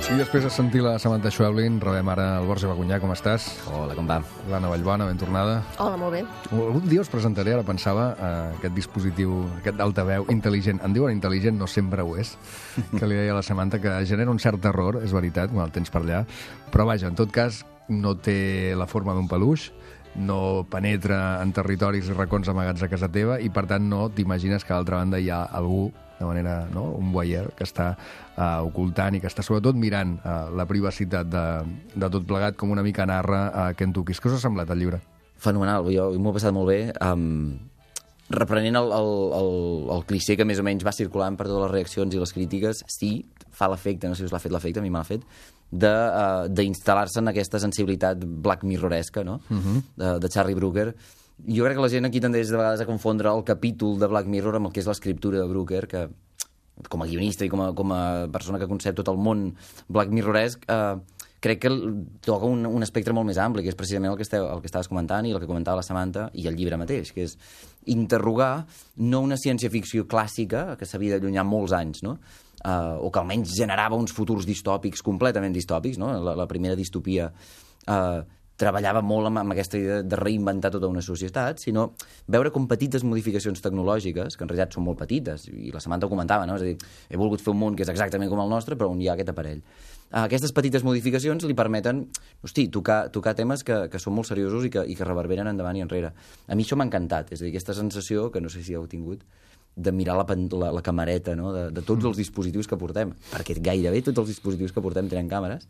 I després de sentir la Samantha Schweblin, rebem ara el Borja Bagunyà. Com estàs? Hola, com va? L'Anna Vallbona, ben tornada. Hola, molt bé. Algun dia us presentaré, ara pensava, eh, aquest dispositiu, aquest altaveu intel·ligent. En diuen intel·ligent, no sempre ho és, que li deia a la Samantha, que genera un cert terror, és veritat, quan el tens per allà. Però vaja, en tot cas, no té la forma d'un peluix, no penetra en territoris i racons amagats a casa teva i, per tant, no t'imagines que a l'altra banda hi ha algú, de manera, no?, un voyeur que està uh, ocultant i que està sobretot mirant uh, la privacitat de, de tot plegat, com una mica narra a uh, Kentucky. Què us ha semblat el llibre? Fenomenal, jo m'ho he passat molt bé. Um, reprenent el, el, el, el clixé que més o menys va circulant per totes les reaccions i les crítiques, sí, fa l'efecte, no sé si us l'ha fet l'efecte, a mi me l'ha fet, d'instal·lar-se uh, en aquesta sensibilitat Black Mirroresca, no? Uh-huh. de, de Charlie Brooker. Jo crec que la gent aquí tendeix de vegades a confondre el capítol de Black Mirror amb el que és l'escriptura de Brooker, que com a guionista i com a, com a persona que concep tot el món Black Mirroresc, eh, crec que toca un, un espectre molt més ampli, que és precisament el que, esteu, el que estaves comentant i el que comentava la Samantha i el llibre mateix, que és interrogar no una ciència-ficció clàssica que s'havia d'allunyar molts anys, no? Uh, o que almenys generava uns futurs distòpics completament distòpics, no? La, la primera distopia uh, treballava molt amb, amb aquesta idea de reinventar tota una societat, sinó veure com petites modificacions tecnològiques, que en realitat són molt petites, i la Samantha ho comentava, no? És a dir, he volgut fer un món que és exactament com el nostre, però on hi ha aquest aparell. Uh, aquestes petites modificacions li permeten, hosti, tocar, tocar temes que, que són molt seriosos i que, i que reverberen endavant i enrere. A mi això m'ha encantat, és a dir, aquesta sensació, que no sé si heu tingut, de mirar la, la, la camereta, no? de, de tots els dispositius que portem, perquè gairebé tots els dispositius que portem tenen càmeres,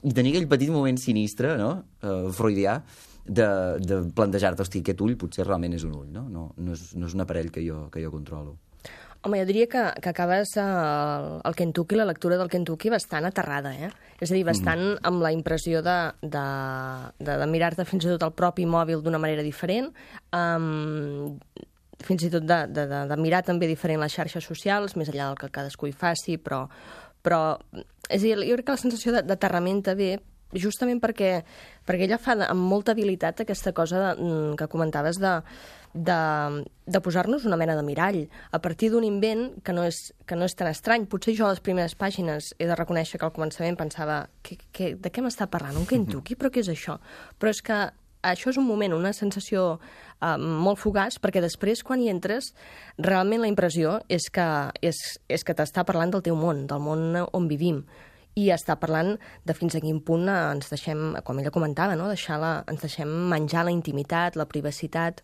i tenir aquell petit moment sinistre, no? uh, freudià, de, de plantejar-te, hosti, aquest ull potser realment és un ull, no? No, no, és, no és un aparell que jo, que jo controlo. Home, jo diria que, que acabes el, el Kentucky, la lectura del Kentucky, bastant aterrada, eh? És a dir, bastant mm. amb la impressió de, de, de, de mirar-te fins i tot el propi mòbil d'una manera diferent, um, fins i tot de, de, de, de mirar també diferent les xarxes socials, més enllà del que cadascú hi faci, però, però és a dir, jo crec que la sensació d'aterrament ve justament perquè, perquè ella fa amb molta habilitat aquesta cosa de, que comentaves de, de, de posar-nos una mena de mirall a partir d'un invent que no, és, que no és tan estrany. Potser jo a les primeres pàgines he de reconèixer que al començament pensava que, que, de què m'està parlant? Un Kentucky? Però què és això? Però és que això és un moment, una sensació eh, molt fugaç, perquè després, quan hi entres, realment la impressió és que, és, és que t'està parlant del teu món, del món on vivim, i està parlant de fins a quin punt ens deixem, com ella comentava, no? Deixar la, ens deixem menjar la intimitat, la privacitat,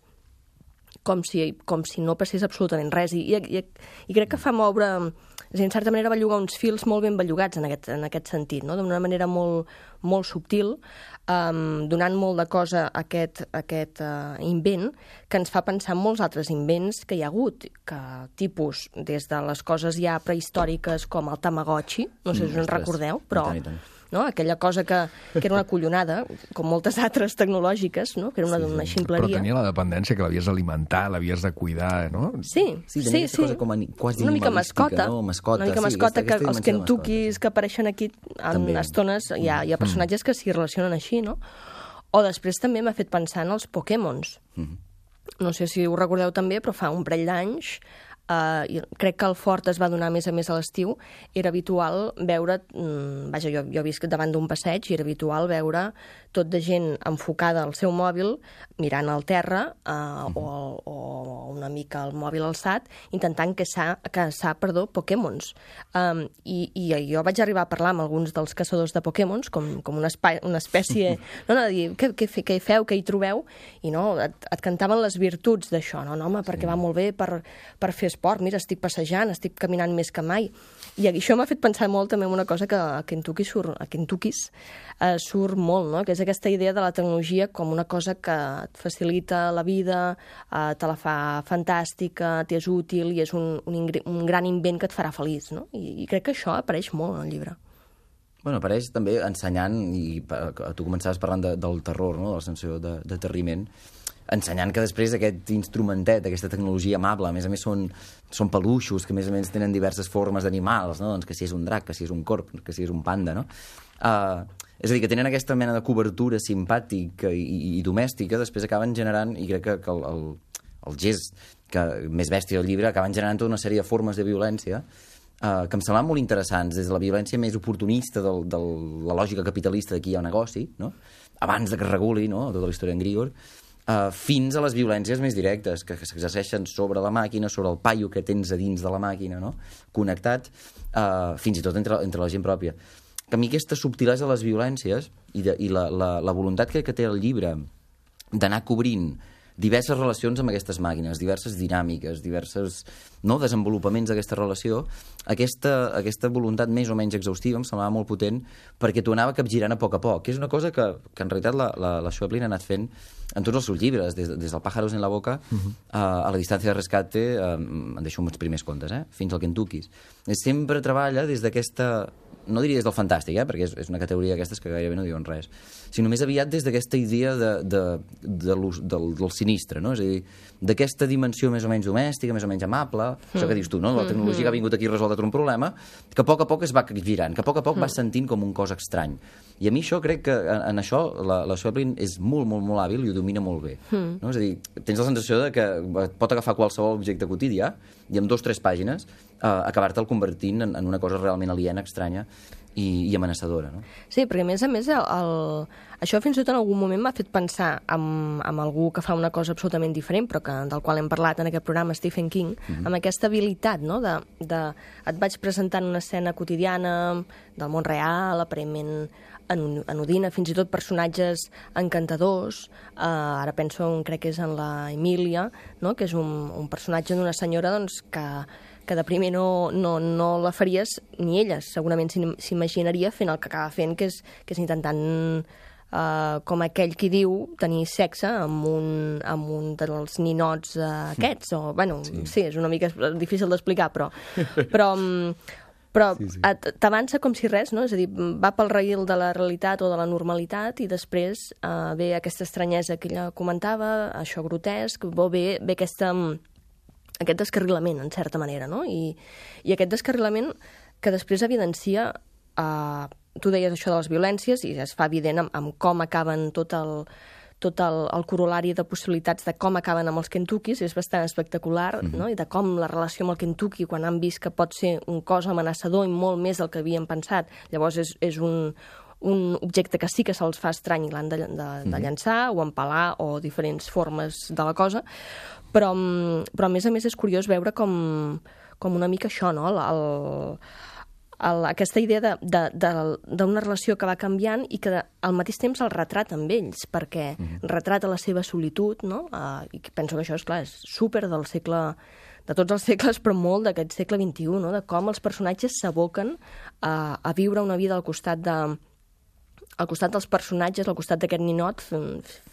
com si, com si no passés absolutament res. I, i, i crec que fa moure... És a dir, en certa manera, bellugar uns fils molt ben bellugats en aquest, en aquest sentit, no? D'una manera molt, molt subtil, um, donant molt de cosa a aquest, a aquest uh, invent, que ens fa pensar en molts altres invents que hi ha hagut, que tipus, des de les coses ja prehistòriques com el Tamagotchi, no sé si us en recordeu, però... I tant, i tant. No? Aquella cosa que, que era una collonada, com moltes altres tecnològiques, no? Que era una, sí, una ximpleria. Però tenia la dependència que l'havies d'alimentar, l'havies de cuidar, no? Sí, Sí, sí, tenia sí. aquesta cosa com a, quasi una mica animalística, mascota, no? Mascota, una mica sí, mascota, aquesta- que aquesta els dimensió de mascota, Kentuckis que apareixen aquí en També. estones, hi ha, hi ha personatges que s'hi relacionen així, no? O després també m'ha fet pensar en els Pokémons. No sé si ho recordeu també, però fa un parell d'anys, Uh, i crec que el Fort es va donar més a més a l'estiu, era habitual veure, mm, vaja, jo, jo visc davant d'un passeig i era habitual veure tot de gent enfocada al seu mòbil, mirant al terra uh, uh-huh. o, o una mica el mòbil alçat, intentant caçar, caçar perdó, Pokémons. Um, i, I jo vaig arribar a parlar amb alguns dels caçadors de Pokémons, com, com una, espai, una espècie... no, no, de dir, què, què, què hi feu, què hi trobeu? I no, et, et cantaven les virtuts d'això, no, no home, perquè va molt bé per, per fer esport, mira, estic passejant, estic caminant més que mai. I això m'ha fet pensar molt també en una cosa que a Kentucky surt, a Kentuckys eh, surt molt, no? Que és aquesta idea de la tecnologia com una cosa que et facilita la vida, eh, te la fa fantàstica, t'és útil i és un, un, ingre, un gran invent que et farà feliç, no? I, i crec que això apareix molt en el llibre. Bueno, apareix també ensenyant, i tu començaves parlant de, del terror, no? De la sensació de, de terriment, ensenyant que després aquest instrumentet, aquesta tecnologia amable, a més a més són, són peluixos, que a més a més tenen diverses formes d'animals, no? Doncs que si és un drac, que si és un corb, que si és un panda, no? Uh, és a dir, que tenen aquesta mena de cobertura simpàtica i, i, i domèstica, després acaben generant, i crec que, que el, el, el gest que, més bèstia del llibre, acaben generant tota una sèrie de formes de violència uh, que em semblaven molt interessants, des de la violència més oportunista de la lògica capitalista de qui hi ha un negoci, no? Abans de que es reguli, no? Tota la història en Grigor, Uh, fins a les violències més directes que, que s'exerceixen sobre la màquina, sobre el paio que tens a dins de la màquina, no? Connectat, uh, fins i tot entre, entre la gent pròpia. Que a mi aquesta subtilesa de les violències i, de, i la, la, la voluntat que, que té el llibre d'anar cobrint diverses relacions amb aquestes màquines, diverses dinàmiques, diversos, no, desenvolupaments d'aquesta relació, aquesta, aquesta voluntat més o menys exhaustiva em semblava molt potent perquè t'ho anava capgirant a poc a poc, que és una cosa que, que en realitat la, la, la Schweblin ha anat fent en tots els seus llibres, des, des del Pájaros en la boca uh-huh. a, a la distància de rescate, eh, em deixo uns primers contes, eh, fins al Kentuckys. Sempre treballa des d'aquesta... no diria des del fantàstic, eh, perquè és, és una categoria d'aquestes que gairebé no diuen res, sinó més aviat des d'aquesta idea de, de, de del, del sinistre, no? És a dir, d'aquesta dimensió més o menys domèstica, més o menys amable, mm. això que dius tu, no? La tecnologia mm-hmm. que ha vingut aquí a resoldre un problema, que a poc a poc es va girant, que a poc a poc mm. va sentint com un cos estrany. I a mi això crec que en, en això la, la Schweblin és molt, molt, molt hàbil i ho domina molt bé. Mm. No? És a dir, tens la sensació de que pot agafar qualsevol objecte quotidià i en dos o tres pàgines eh, acabar-te'l convertint en, en una cosa realment aliena, estranya i, i amenaçadora. No? Sí, perquè a més a més el, el... això fins i tot en algun moment m'ha fet pensar en, en algú que fa una cosa absolutament diferent, però que, del qual hem parlat en aquest programa, Stephen King, mm-hmm. amb aquesta habilitat, no? de, de... et vaig presentant una escena quotidiana del món real, aparentment anodina, fins i tot personatges encantadors. Uh, ara penso, en, crec que és en la Emília, no? Que és un, un personatge d'una senyora doncs, que, que de primer no, no, no la faries ni ella, segurament s'imaginaria fent el que acaba fent, que és, que és intentant, uh, com aquell qui diu, tenir sexe amb un, amb un dels ninots uh, aquests. O, bueno, sí. sí, és una mica difícil d'explicar, però... però però sí, sí. t'avança com si res, no? És a dir, va pel raïl de la realitat o de la normalitat i després uh, ve aquesta estranyesa que ella comentava, això grotesc, ve, ve aquesta, aquest descarrilament, en certa manera, no? I, i aquest descarrilament que després evidencia, uh, tu deies això de les violències i es fa evident amb, amb com acaben tot el... tot el, el corolari de possibilitats de com acaben amb els Kentuckys, és bastant espectacular, mm-hmm. no? I de com la relació amb el Kentucky, quan han vist que pot ser un cos amenaçador i molt més del que havien pensat. Llavors és, és un, un objecte que sí que se'ls fa estrany i l'han de, de, de llançar o empalar o diferents formes de la cosa, però, però a més a més és curiós veure com, com una mica això, no? El, el, el, aquesta idea de, de, de, d'una relació que va canviant i que al mateix temps el retrata amb ells, perquè mm-hmm. retrata la seva solitud, no? Uh, i penso que això és, clar, és súper del segle, de tots els segles, però molt d'aquest segle vint-i-u, no? De com els personatges s'aboquen a, a viure una vida al costat de al costat dels personatges, al costat d'aquest ninot,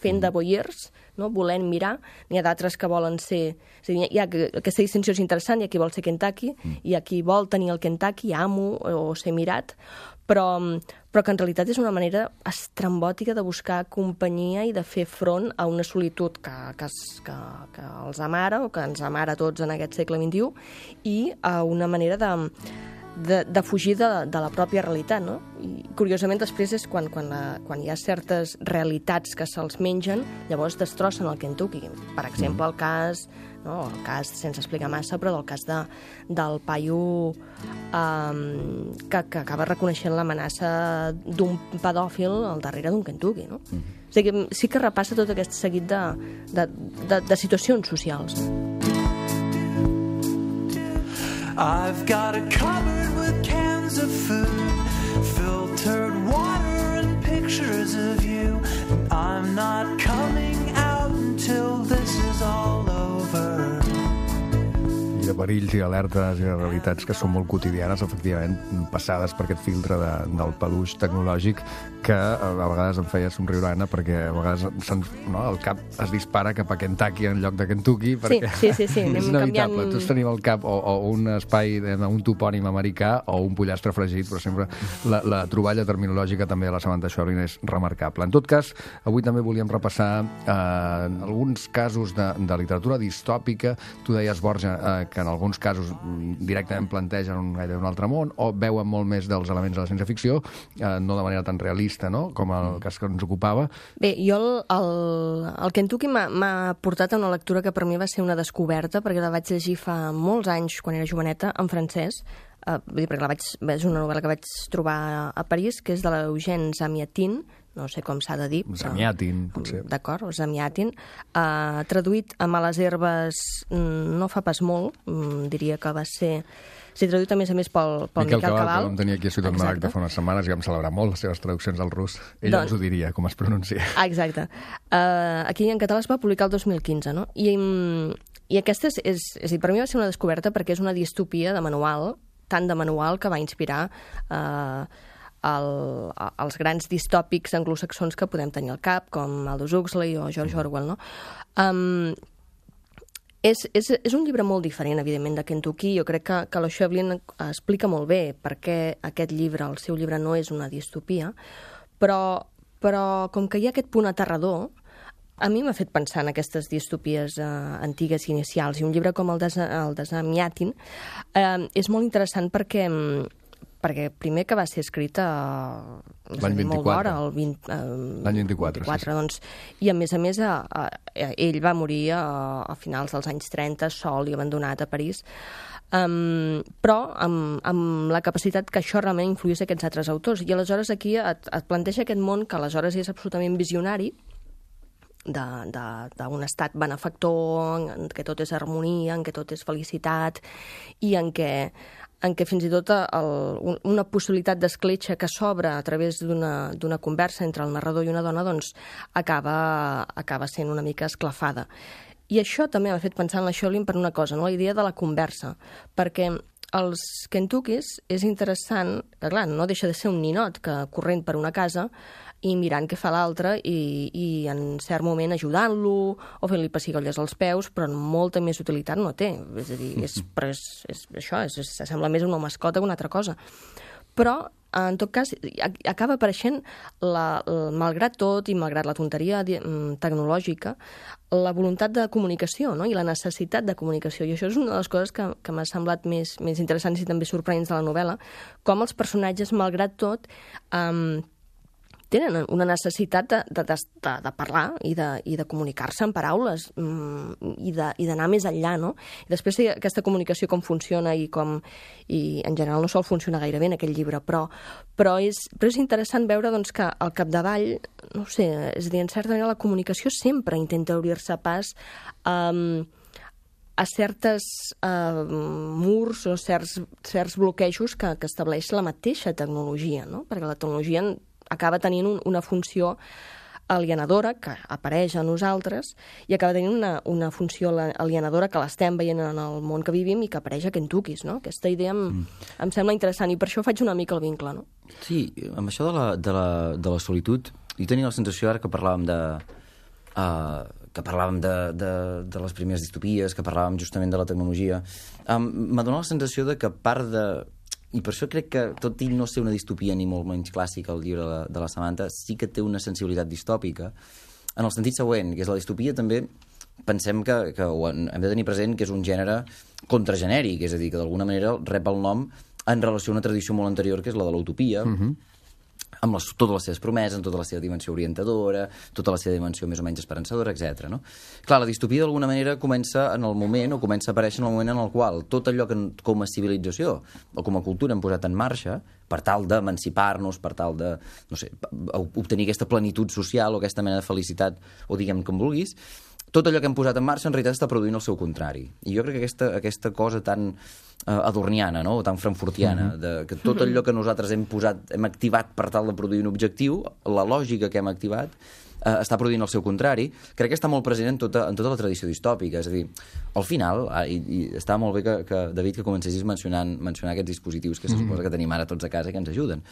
fent de voyeurs, no? Volent mirar. N'hi ha d'altres que volen ser... És a dir, hi ha, aquesta distinció és interessant, hi ha qui vol ser Kentucky, mm. hi ha qui vol tenir el Kentucky, amo o ser mirat, però, però que en realitat és una manera estrambòtica de buscar companyia i de fer front a una solitud que, que, que, que els amara o que ens amara a tots en aquest segle vint-i-u i a una manera de... De, de fugir de, de la pròpia realitat, no? I curiosament després és quan, quan, la, quan hi ha certes realitats que se'ls mengen, llavors destrossen el Kentucky. Per exemple, el cas, no, el cas sense explicar massa, però del cas de, del paio um, que, que acaba reconeixent l'amenaça d'un pedòfil al darrere d'un Kentucky, no? Mm-hmm. O sigui, sí que repassa tot aquest seguit de, de, de, de situacions socials. I've got a cupboard with cans of food, filtered water and pictures of you. I'm not coming out until this is all over. De perills i alertes i de realitats que són molt quotidianes, efectivament, passades per aquest filtre de, del peluix tecnològic que a vegades em feia somriure, Anna, perquè a vegades no, el cap es dispara cap a Kentucky en lloc de Kentucky, perquè sí, sí, sí, sí. és inevitable. Canviant... Tots tenim al cap o, o un espai, un topònim americà o un pollastre fregit, però sempre la, la troballa terminològica també de la Samantha Schweblin és remarcable. En tot cas, avui també volíem repassar eh, alguns casos de, de literatura distòpica. Tu deies, Borja, eh, que en alguns casos directament plantegen un, gaire un altre món o veuen molt més dels elements de la ciència-ficció, eh, no de manera tan realista, no?, com el cas que ens ocupava. Bé, jo el, el, el Kentucky m'ha portat a una lectura que per mi va ser una descoberta, perquè la vaig llegir fa molts anys, quan era joveneta, en francès. Uh, vull dir, perquè la vaig, és una novel·la que vaig trobar a París, que és de l'Eugène Zamyatin, no sé com s'ha de dir. Zamyatin, potser. D'acord, Zamyatin. Uh, traduït a Males herbes no fa pas molt, diria que va ser... Sí, traduït a més a més pel, pel Miquel, Miquel Cabal, Cabal. que vam tenir aquí a Ciutat Maragda fa unes setmanes i vam celebrar molt les seves traduccions al rus. Ell doncs... ens ho diria, com es pronuncia. Ah, exacte. Uh, aquí en català es va publicar el dos mil quinze, no? I, i aquesta és, és, és, per mi va ser una descoberta perquè és una distopia de manual, tant de manual que va inspirar uh, el, els grans distòpics anglosaxons que podem tenir al cap, com Aldous Huxley o George Orwell, no? Um, és, és, és un llibre molt diferent, evidentment, de Kentucky. Jo crec que, que la Schweblin explica molt bé per què aquest llibre, el seu llibre, no és una distopia, però, però com que hi ha aquest punt aterrador, a mi m'ha fet pensar en aquestes distopies eh, antigues i inicials, i un llibre com el de, el de Zamyatin eh, és molt interessant perquè, perquè primer que va ser escrit a l'any vint-i-quatre, el vint, eh, l'any vint-i-quatre, vint-i-quatre, sí, sí. doncs, i a més a més a, a, a, ell va morir a, a finals dels anys trenta, sol i abandonat a París. Um, però amb, amb la capacitat que això realment influís aquests altres autors, i aleshores aquí et, et planteja aquest món que aleshores és absolutament visionari, d'un estat benefactor, en què tot és harmonia, en què tot és felicitat, i en què, en què fins i tot el, una possibilitat d'escletxa que s'obre a través d'una conversa entre el narrador i una dona doncs acaba, acaba sent una mica esclafada. I això també m'ha fet pensar en la Schweblin per una cosa, no? La idea de la conversa, perquè els Kentuckys és interessant, que clar, no deixa de ser un ninot que corrent per una casa i mirant què fa l'altre i, i en cert moment ajudant-lo o fent-li pessigolles als peus, però molta més utilitat no té. És a dir, és, però és, és això, és, és, sembla més una mascota que una altra cosa. Però, en tot cas, acaba apareixent, la, la, malgrat tot i malgrat la tonteria tecnològica, la voluntat de comunicació, no? I la necessitat de comunicació. I això és una de les coses que, que m'ha semblat més, més interessants i també sorprenents de la novel·la, com els personatges, malgrat tot, um, tenen una necessitat de, de, de, de parlar i de, i de comunicar-se en paraules mm, i de- i d'anar més enllà, no? I després té aquesta comunicació com funciona i com... I en general no sol funcionar gaire bé en aquell llibre, però, però, és, però és interessant veure doncs, que al capdavall, no ho sé, és a dir, en certa manera la comunicació sempre intenta obrir-se pas um, a certes uh, murs o certs, certs bloquejos que, que estableix la mateixa tecnologia, no? Perquè la tecnologia acaba tenint un, una funció alienadora que apareix a nosaltres i acaba tenint una, una funció alienadora que l'estem veient en el món que vivim i que apareix a Kentuckys, no? Aquesta idea em, mm. em sembla interessant i per això faig una mica el vincle, no? Sí, amb això de la, de la, de la solitud, jo tenia la sensació ara que parlàvem de... Uh, que parlàvem de, de, de les primeres distopies, que parlàvem justament de la tecnologia, um, m'ha donat la sensació de que part de... I per això crec que, tot i no ser una distopia ni molt menys clàssica, el llibre de la, de la Samantha, sí que té una sensibilitat distòpica, en el sentit següent, que és la distopia també, pensem que, que ho hem de tenir present, que és un gènere contragenèric, és a dir, que d'alguna manera rep el nom en relació a una tradició molt anterior, que és la de l'utopia, uh-huh. amb les, totes les seves promeses, amb tota la seva dimensió orientadora, tota la seva dimensió més o menys esperançadora, etcètera. No? Clar, la distopia d'alguna manera comença en el moment, o comença a aparèixer en el moment en el qual tot allò que com a civilització o com a cultura hem posat en marxa, per tal d'emancipar-nos, per tal de, no sé, obtenir aquesta plenitud social o aquesta mena de felicitat, o diguem com vulguis, tot allò que hem posat en marxa en realitat està produint el seu contrari. I jo crec que aquesta, aquesta cosa tan uh, adorniana, no? O tan frankfurtiana, mm-hmm. de, que tot allò que nosaltres hem posat, hem activat per tal de produir un objectiu, la lògica que hem activat, uh, està produint el seu contrari, crec que està molt present en tota, en tota la tradició distòpica. És a dir, al final, uh, i, i està molt bé que, que David, que comencessis mencionant, mencionar aquests dispositius que se suposa que tenim ara tots a casa i que ens ajuden.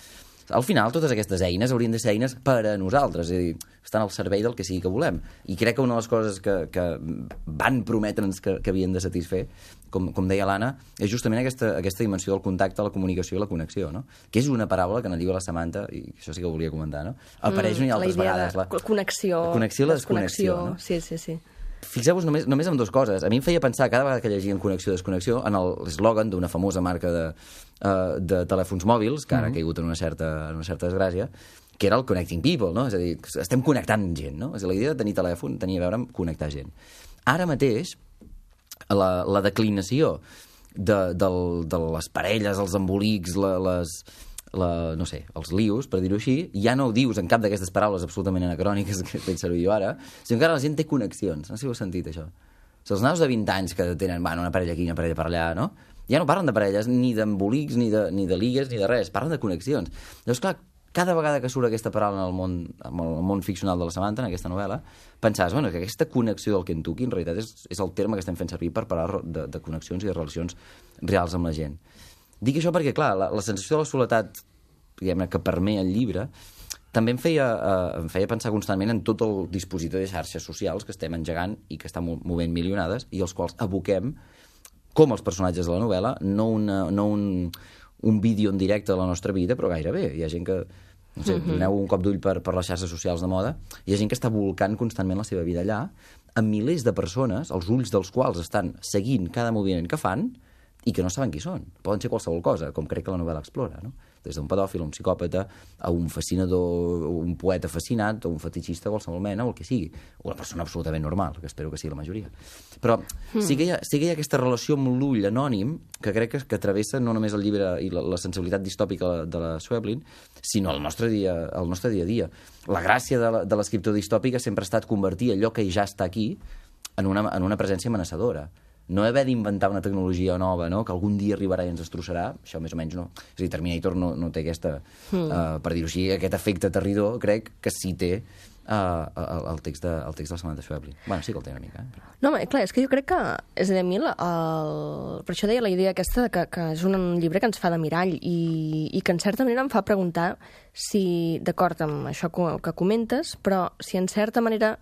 Al final, totes aquestes eines haurien de ser eines per a nosaltres, és a dir, estan al servei del que sigui que volem. I crec que una de les coses que, que van prometre'ns que, que havien de satisfer, com, com deia l'Anna, és justament aquesta, aquesta dimensió del contacte, la comunicació i la connexió, no? Que és una paraula que en el llibre de la Samantha, i això sí que ho volia comentar, no? Apareix mm, una i altres vegades. La idea de connexió. La connexió i la desconnexió, no? Sí, sí, sí. Fixeu-vos només, només en dues coses. A mi em feia pensar, cada vegada que llegien connexió i desconnexió, en l'eslògan d'una famosa marca de, uh, de telèfons mòbils, que ara ha caigut en una certa, en una certa desgràcia, que era el Connecting People, no? És a dir, estem connectant gent, no? És a dir, la idea de tenir telèfon tenia a veure amb connectar gent. Ara mateix, la, la declinació de, del, de les parelles, els embolics, la, les... La, no sé, els lius, per dir-ho així, ja no ho dius en cap d'aquestes paraules absolutament anacròniques que faig servir jo ara, sinó que ara la gent té connexions. No sé si ho heu sentit, això. O sigui, els nanos de vint anys que tenen, bueno, una parella aquí, una parella per allà, no? Ja no parlen de parelles, ni d'embolics, ni, de, ni de ligues, ni de res. Parlen de connexions. Llavors, clar, cada vegada que surt aquesta paraula en el món, en el món ficcional de la Samantha, en aquesta novel·la, pensaves, bueno, que aquesta connexió del Kentucky, en realitat, és, és el terme que estem fent servir per parlar de, de connexions i de relacions reals amb la gent. Dic això perquè, clar, la, la sensació de la soledat, diguem-ne, que permet el llibre, també em feia, eh, em feia pensar constantment en tot el dispositiu de xarxes socials que estem engegant i que estan movent milionades i els quals aboquem, com els personatges de la novel·la, no, una, no un, un vídeo en directe de la nostra vida, però gairebé. Hi ha gent que, no sé, doneu un cop d'ull per, per les xarxes socials de moda, hi ha gent que està volcant constantment la seva vida allà, amb milers de persones, els ulls dels quals estan seguint cada moviment que fan i que no saben qui són. Poden ser qualsevol cosa, com crec que la novel·la explora, no? Des d'un pedòfil, un psicòpata, a un fascinador, un poeta fascinat, o un fetichista, qualsevol mena, o el que sigui. O una persona absolutament normal, que espero que sigui la majoria. Però sí que hi ha, sí que hi ha aquesta relació amb l'ull anònim, que crec que, que travessa no només el llibre i la, la sensibilitat distòpica de la Schweblin, sinó el nostre dia, el nostre dia a dia. La gràcia de, la, de l'escriptor distòpic ha sempre estat convertir allò que ja està aquí en una, en una presència amenaçadora. No haver d'inventar una tecnologia nova, no? Que algun dia arribarà i ens destrossarà, això més o menys no. És a dir, Terminator no, no té aquesta, mm. uh, per dir-ho així, aquest efecte aterridor, crec que sí té uh, el, el, text de, el text de la Samantha Schweblin. Bueno, sí que el té una mica. Eh? No, clar, és que jo crec que, és a dir, a mi, el, per això deia la idea aquesta que, que és un llibre que ens fa de mirall i, i que en certa manera em fa preguntar si, d'acord amb això que, que comentes, però si en certa manera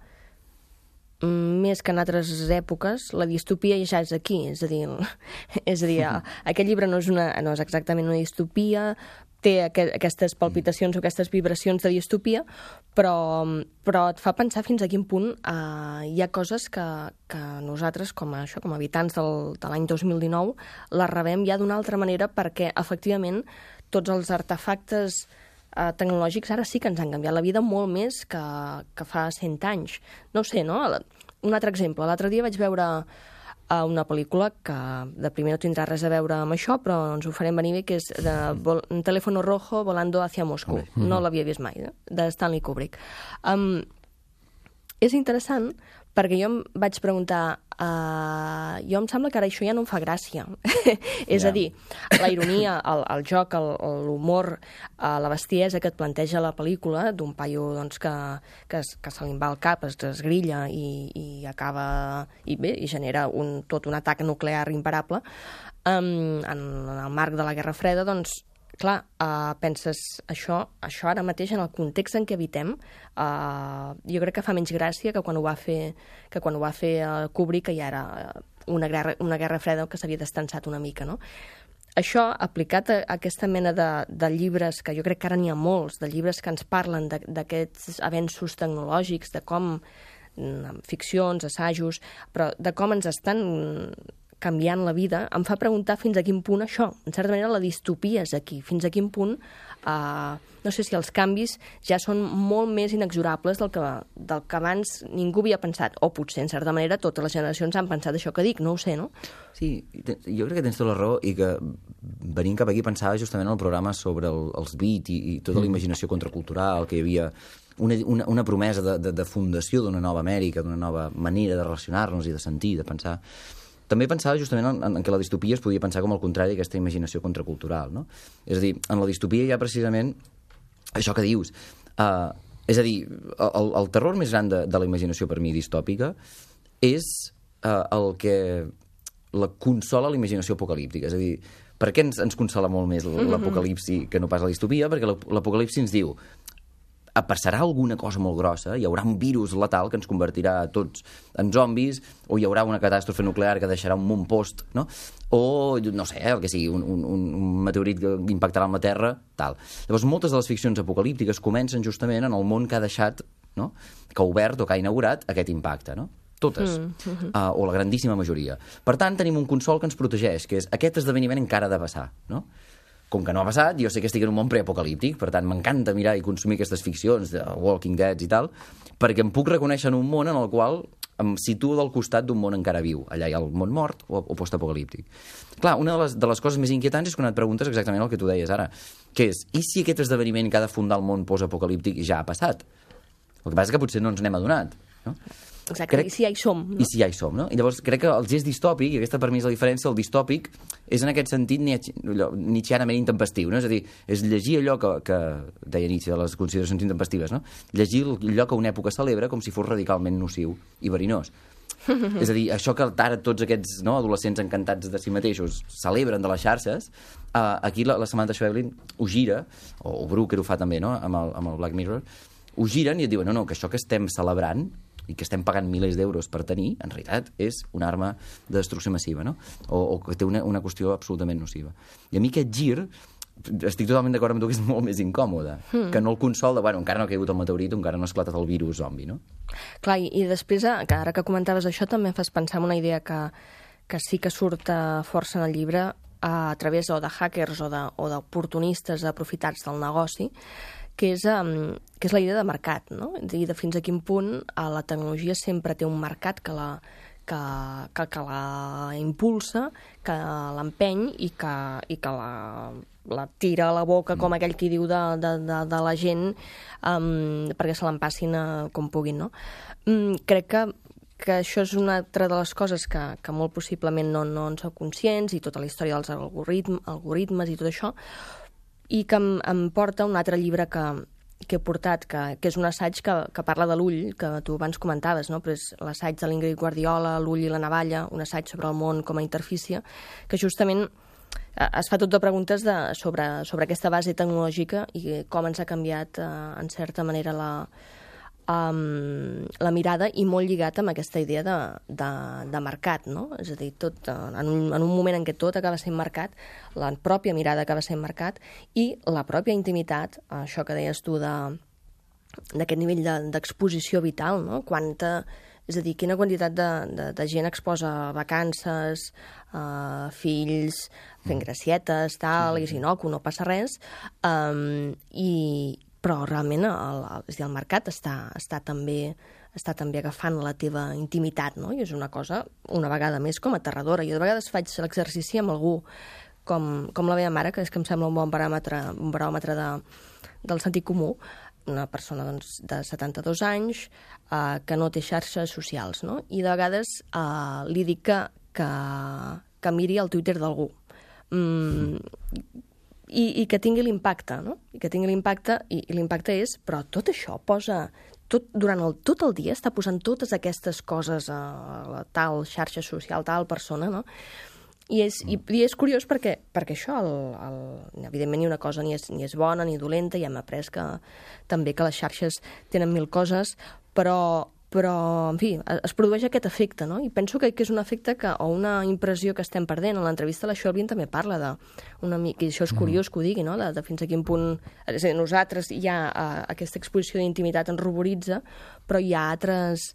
més que en altres èpoques, la distopia ja és aquí, és a dir, és a dir, aquest llibre no és, una, no és exactament una distopia, té aqu aquestes palpitacions o aquestes vibracions de distopia, però, però et fa pensar fins a quin punt eh, hi ha coses que, que nosaltres, com a, això, com a habitants del, de l'any dos mil dinou, les rebem ja d'una altra manera perquè, efectivament, tots els artefactes eh, tecnològics ara sí que ens han canviat la vida molt més que, que fa cent anys. No ho sé, no? Un altre exemple. L'altre dia vaig veure eh, una pel·lícula que de primer no tindrà res a veure amb això, però ens ho farem venir bé, que és de vol, un telèfon rojo volando hacia Moscou. Mm-hmm. No l'havia vist mai, eh? De Stanley Kubrick. Um, és interessant perquè jo em vaig preguntar, uh, jo em sembla que ara això ja no em fa gràcia. És yeah. a dir, la ironia, el, el joc, l'humor, uh, la bestiesa que et planteja la pel·lícula d'un paio doncs, que, que, es, que se li va al cap, es desgrilla i, i acaba, i bé, i genera un, tot un atac nuclear imparable, um, en, en el marc de la Guerra Freda, doncs, clar, uh, penses això, això ara mateix en el context en què habitem, uh, jo crec que fa menys gràcia que quan ho va fer, que quan ho va fer uh, Kubrick, que ja era una guerra, una guerra freda que s'havia destensat una mica, no? Això, aplicat a, a aquesta mena de, de llibres, que jo crec que ara n'hi ha molts, de llibres que ens parlen d'aquests avenços tecnològics, de com, ficcions, assajos, però de com ens estan canviant la vida, em fa preguntar fins a quin punt això, en certa manera la distopia és aquí, fins a quin punt uh, no sé si els canvis ja són molt més inexorables del que, del que abans ningú havia pensat, o potser en certa manera totes les generacions han pensat això que dic, no ho sé, no? Sí, jo crec que tens tota la raó i que venint cap aquí pensava justament en el programa sobre el, els beat i, i tota la imaginació contracultural, que hi havia una, una, una promesa de, de, de fundació d'una nova Amèrica, d'una nova manera de relacionar-nos i de sentir, de pensar. També pensava justament en, en que la distopia es podia pensar com al contrari d'aquesta imaginació contracultural, no? És a dir, en la distopia hi ha precisament això que dius. Uh, és a dir, el, el terror més gran de, de la imaginació per mi distòpica és uh, el que la consola la imaginació apocalíptica. És a dir, per què ens, ens consola molt més l'apocalipsi que no pas la distopia? Perquè l'apocalipsi ens diu passarà alguna cosa molt grossa, hi haurà un virus letal que ens convertirà a tots en zombis, o hi haurà una catàstrofe nuclear que deixarà un món post, no? O, no sé, el que sigui, un, un, un meteorit que impactarà en la Terra, tal. Llavors, moltes de les ficcions apocalíptiques comencen justament en el món que ha deixat, no? Que ha obert o que ha inaugurat aquest impacte, no? Totes, mm, mm-hmm. uh, o la grandíssima majoria. Per tant, tenim un consol que ens protegeix, que és aquest esdeveniment encara ha de passar, no? Com que no ha passat, jo sé que estic en un món preapocalíptic, per tant, m'encanta mirar i consumir aquestes ficcions de Walking Dead i tal, perquè em puc reconèixer en un món en el qual em situo del costat d'un món encara viu. Allà hi ha el món mort o, o postapocalíptic. Clar, una de les, de les coses més inquietants és quan et preguntes exactament el que tu deies ara, que és, i si aquest esdeveniment que ha de fundar el món postapocalíptic ja ha passat? El que passa és que potser no ens n'hem adonat, no? Exacte, crec... i si ja hi som. No? I si ja hi som, no? I llavors crec que el gest distòpic, i aquesta per mi és la diferència, el distòpic és en aquest sentit nietzscheanament intempestiu, no? És a dir, és llegir allò que, que deia Nietzsche de les consideracions intempestives, no? Llegir allò que una època celebra com si fos radicalment nociu i verinós. És a dir, això que ara tots aquests, no, adolescents encantats de si mateixos celebren de les xarxes, uh, aquí la, la Samantha Schweblin ho gira, o, o Brooker ho fa també, no?, amb el, amb el Black Mirror, ho giren i et diuen, no, no, que això que estem celebrant i que estem pagant milers d'euros per tenir, en realitat és una arma de destrucció massiva, no? O, o que té una, una qüestió absolutament nociva. I a mi aquest gir, estic totalment d'acord amb tu, que és molt més incòmode, mm. que no el consol de, bueno, encara no ha caigut el meteorit, encara no ha esclatat el virus zombi, no? Clar, i, i després, que ara que comentaves això, també em fas pensar en una idea que, que sí que surt força en el llibre, a través o de hackers o d'oportunistes aprofitats del negoci, que és, um, que és la idea de mercat, no? I de fins a quin punt uh, la tecnologia sempre té un mercat que la, que, que, que la impulsa, que l'empeny i que, i que la, la tira a la boca, com aquell qui diu de, de, de, de la gent, um, perquè se l'empassin uh, com puguin, no? Um, crec que que això és una altra de les coses que, que molt possiblement no, no en sou conscients, i tota la història dels algoritm, algoritmes i tot això, i que em, em porta un altre llibre que, que he portat, que, que és un assaig que, que parla de l'ull, que tu abans comentaves, no? Però és l'assaig de l'Ingrid Guardiola, L'ull i la navalla, un assaig sobre el món com a interfície, que justament es fa tot de preguntes de, sobre, sobre aquesta base tecnològica i com ens ha canviat, eh, en certa manera, la, um, la mirada, i molt lligat amb aquesta idea de, de, de mercat, no? És a dir, tot, en, un, en un moment en què tot acaba sent mercat, la pròpia mirada acaba sent mercat, i la pròpia intimitat, això que deies tu de d'aquest nivell d'exposició de, vital, no? Quanta És a dir, quina quantitat de, de, de gent exposa vacances, uh, fills, fent gracietes, tal, i si no, que no passa res. Um, i, però realment el, el, és a dir, el mercat està, està, també, està també agafant la teva intimitat, no? I és una cosa, una vegada més, com aterradora. Jo de vegades faig l'exercici amb algú com, com la meva mare, que és que em sembla un bon paràmetre, un baròmetre de, del sentit comú, una persona doncs, de setanta-dos anys eh, que no té xarxes socials, no? I de vegades eh, li dic que, que, que miri el Twitter d'algú mm, i, i que tingui l'impacte, no? I que tingui l'impacte, i, i l'impacte és, però tot això posa, tot, durant el, tot el dia està posant totes aquestes coses a la tal xarxa social, tal persona, no? I és, i, i és curiós perquè, perquè això, el, el, evidentment, ni una cosa ni és, ni és bona ni dolenta, i hem après que, també que les xarxes tenen mil coses, però, però en fi, es produeix aquest efecte, no? I penso que, que és un efecte que, o una impressió que estem perdent. En l'entrevista la Shelby també parla de una mica, i això és curiós que ho digui, no? de, de fins a quin punt... És a dir, nosaltres ja uh, aquesta exposició d'intimitat ens ruboritza, però hi ha altres...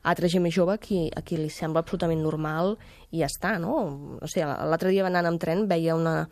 altra gent més jove a qui, a qui li sembla absolutament normal i ja està, no? No sé, l'altre dia anant amb tren veia una,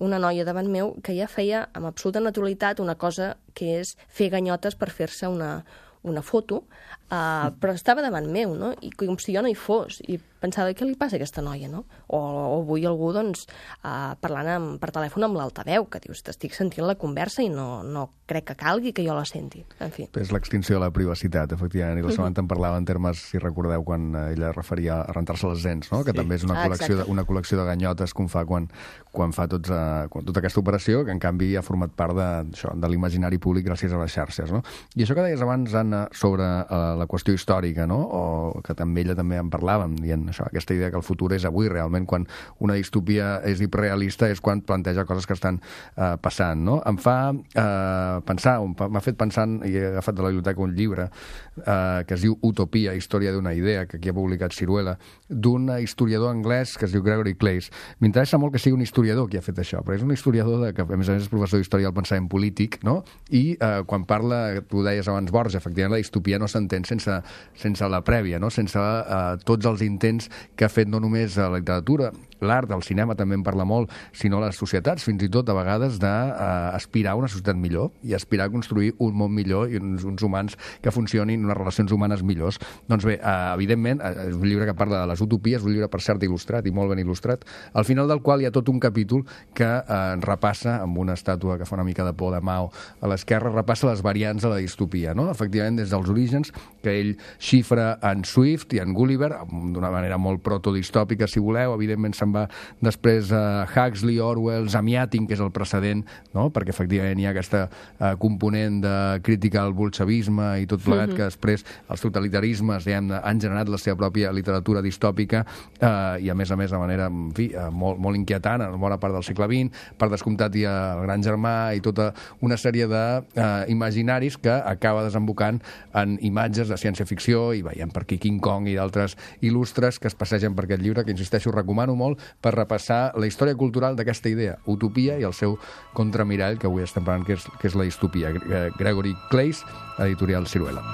una noia davant meu que ja feia amb absoluta naturalitat una cosa que és fer ganyotes per fer-se una, una foto, uh, però estava davant meu, no? I com si jo no hi fos, i pensava, què li passa a aquesta noia, no? O, o avui algú, doncs, uh, parlant amb, per telèfon amb l'altaveu, que dius, t'estic sentint la conversa i no, no crec que calgui que jo la senti. En fi. És l'extinció de la privacitat, efectivament, i la Samantha en parlava en termes, si recordeu, quan ella referia a rentar-se les dents, no? Que sí. També és una ah, col·lecció, de, una col·lecció de ganyotes que fa quan, quan fa tots, uh, quan, tota aquesta operació, que en canvi ha format part de, això, de l'imaginari públic gràcies a les xarxes, no? I això que deies abans, Anna, sobre uh, la qüestió històrica, no? O que també ella també en parlàvem, dient això, aquesta idea que el futur és avui, realment, quan una distopia és hiperrealista és quan planteja coses que estan uh, passant, no? Em fa uh, pensar, m'ha fet pensant, i he agafat de la biblioteca un llibre uh, que es diu Utopia, història d'una idea, que aquí ha publicat Ciruela, d'un historiador anglès que es diu Gregory Clays. M'interessa molt que sigui un historiador qui ha fet això, però és un historiador de, que, a més a més, és professor d'història del pensament polític, no? I uh, quan parla, tu deies abans Borges, efectivament, la distopia no s'entén sense, sense la prèvia, no? Sense uh, tots els intents que ha fet no només a la literatura, l'art, el cinema també en parla molt, sinó les societats, fins i tot a vegades d'aspirar a una societat millor i aspirar a construir un món millor i uns, uns humans que funcionin, unes relacions humanes millors. Doncs bé, eh, evidentment, és un llibre que parla de les utopies, un llibre per cert il·lustrat i molt ben il·lustrat, al final del qual hi ha tot un capítol que eh, repassa, amb una estàtua que fa una mica de por de Mao a l'esquerra, repassa les variants de la distopia, no? Efectivament, des dels orígens, que ell xifra en Swift i en Gulliver, d'una manera molt protodistòpica, si voleu, evidentment se'n va després a Huxley, Orwell, Zamiatin, que és el precedent, no? Perquè efectivament hi ha aquesta uh, component de crítica al bolxevisme i tot plegat, mm-hmm. que després els totalitarismes diguem, han generat la seva pròpia literatura distòpica uh, i a més a més de manera en fi, uh, molt, molt inquietant en bona part del segle vint. Per descomptat hi ha el Gran Germà i tota una sèrie d'imaginaris uh, que acaba desembocant en imatges de ciència-ficció i veiem per aquí King Kong i d'altres il·lustres que es passegen per aquest llibre, que insisteixo, recomano molt per repassar la història cultural d'aquesta idea, utopia, i el seu contramirall, que avui estem parlant, que és, que és la distopia. Gregory Clays, editorial Ciruela.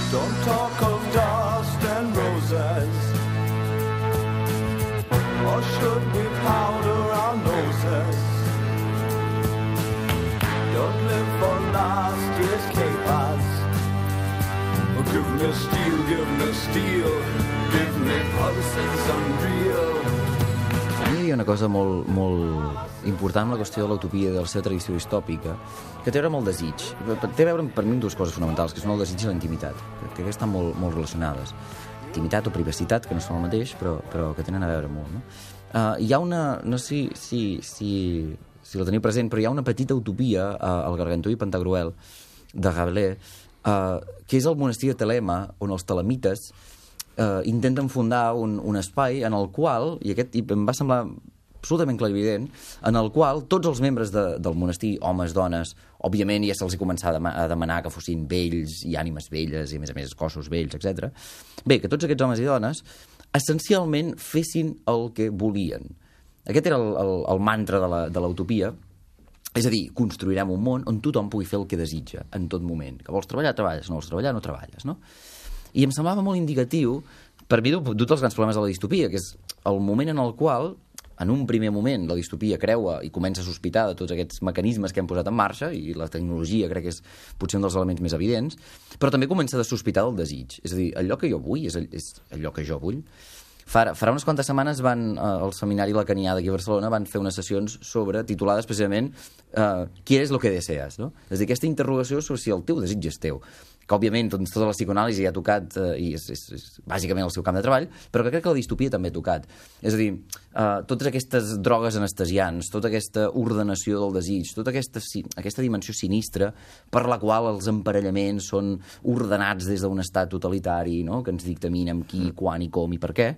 Don't talk of dust and roses, or should we powder our noses? Don't live for last year's capers. Oh, give me steel, give me steel, give me pulses unreal. A mi hi havia una cosa molt, molt important amb la qüestió de l'utopia i de la seva tradició distòpica, que té a veure amb el desig. Té a veure, per mi, amb dues coses fonamentals, que són el desig i la intimitat, que estan molt, molt relacionades. Intimitat o privacitat, que no són el mateix, però, però que tenen a veure molt. No? Uh, hi ha una... No sé si, si, si, si la teniu present, però hi ha una petita utopia uh, al Gargantú i Pantagruel, de Rabelais, uh, que és el monestir de Telema, on els telemites Uh, intenten fundar un, un espai en el qual, i aquest i em va semblar absolutament clarivident, en el qual tots els membres de, del monestir, homes, dones, òbviament ja se'ls hi començava a, a demanar que fossin vells i ànimes velles i a més a més cossos vells, etcètera. Bé, que tots aquests homes i dones essencialment fessin el que volien. Aquest era el, el, el mantra de l'utopia. És a dir, construirem un món on tothom pugui fer el que desitja en tot moment. Que vols treballar, treballes, no vols treballar, no treballes, no? I em semblava molt indicatiu, per mi, d'un dels grans problemes de la distopia, que és el moment en el qual, en un primer moment, la distopia creua i comença a sospitar de tots aquests mecanismes que hem posat en marxa, i la tecnologia crec que és potser un dels elements més evidents, però també comença a sospitar del desig. És a dir, allò que jo vull és, és allò que jo vull. Farà, farà unes quantes setmanes van, eh, al seminari lacanià d'aquí a Barcelona van fer unes sessions sobre, titulades precisament eh, ¿Quieres lo que deseas? No? És a dir, aquesta interrogació sobre si el teu desig és teu, que òbviament doncs, tota la psicoanàlisi ha tocat eh, i és, és, és bàsicament el seu camp de treball, però que crec que la distopia també ha tocat. És a dir, eh, totes aquestes drogues anestesiants, tota aquesta ordenació del desig, tota aquesta, aquesta dimensió sinistra per la qual els emparellaments són ordenats des d'un estat totalitari, no? Que ens dictamina amb qui, quan i com i per què.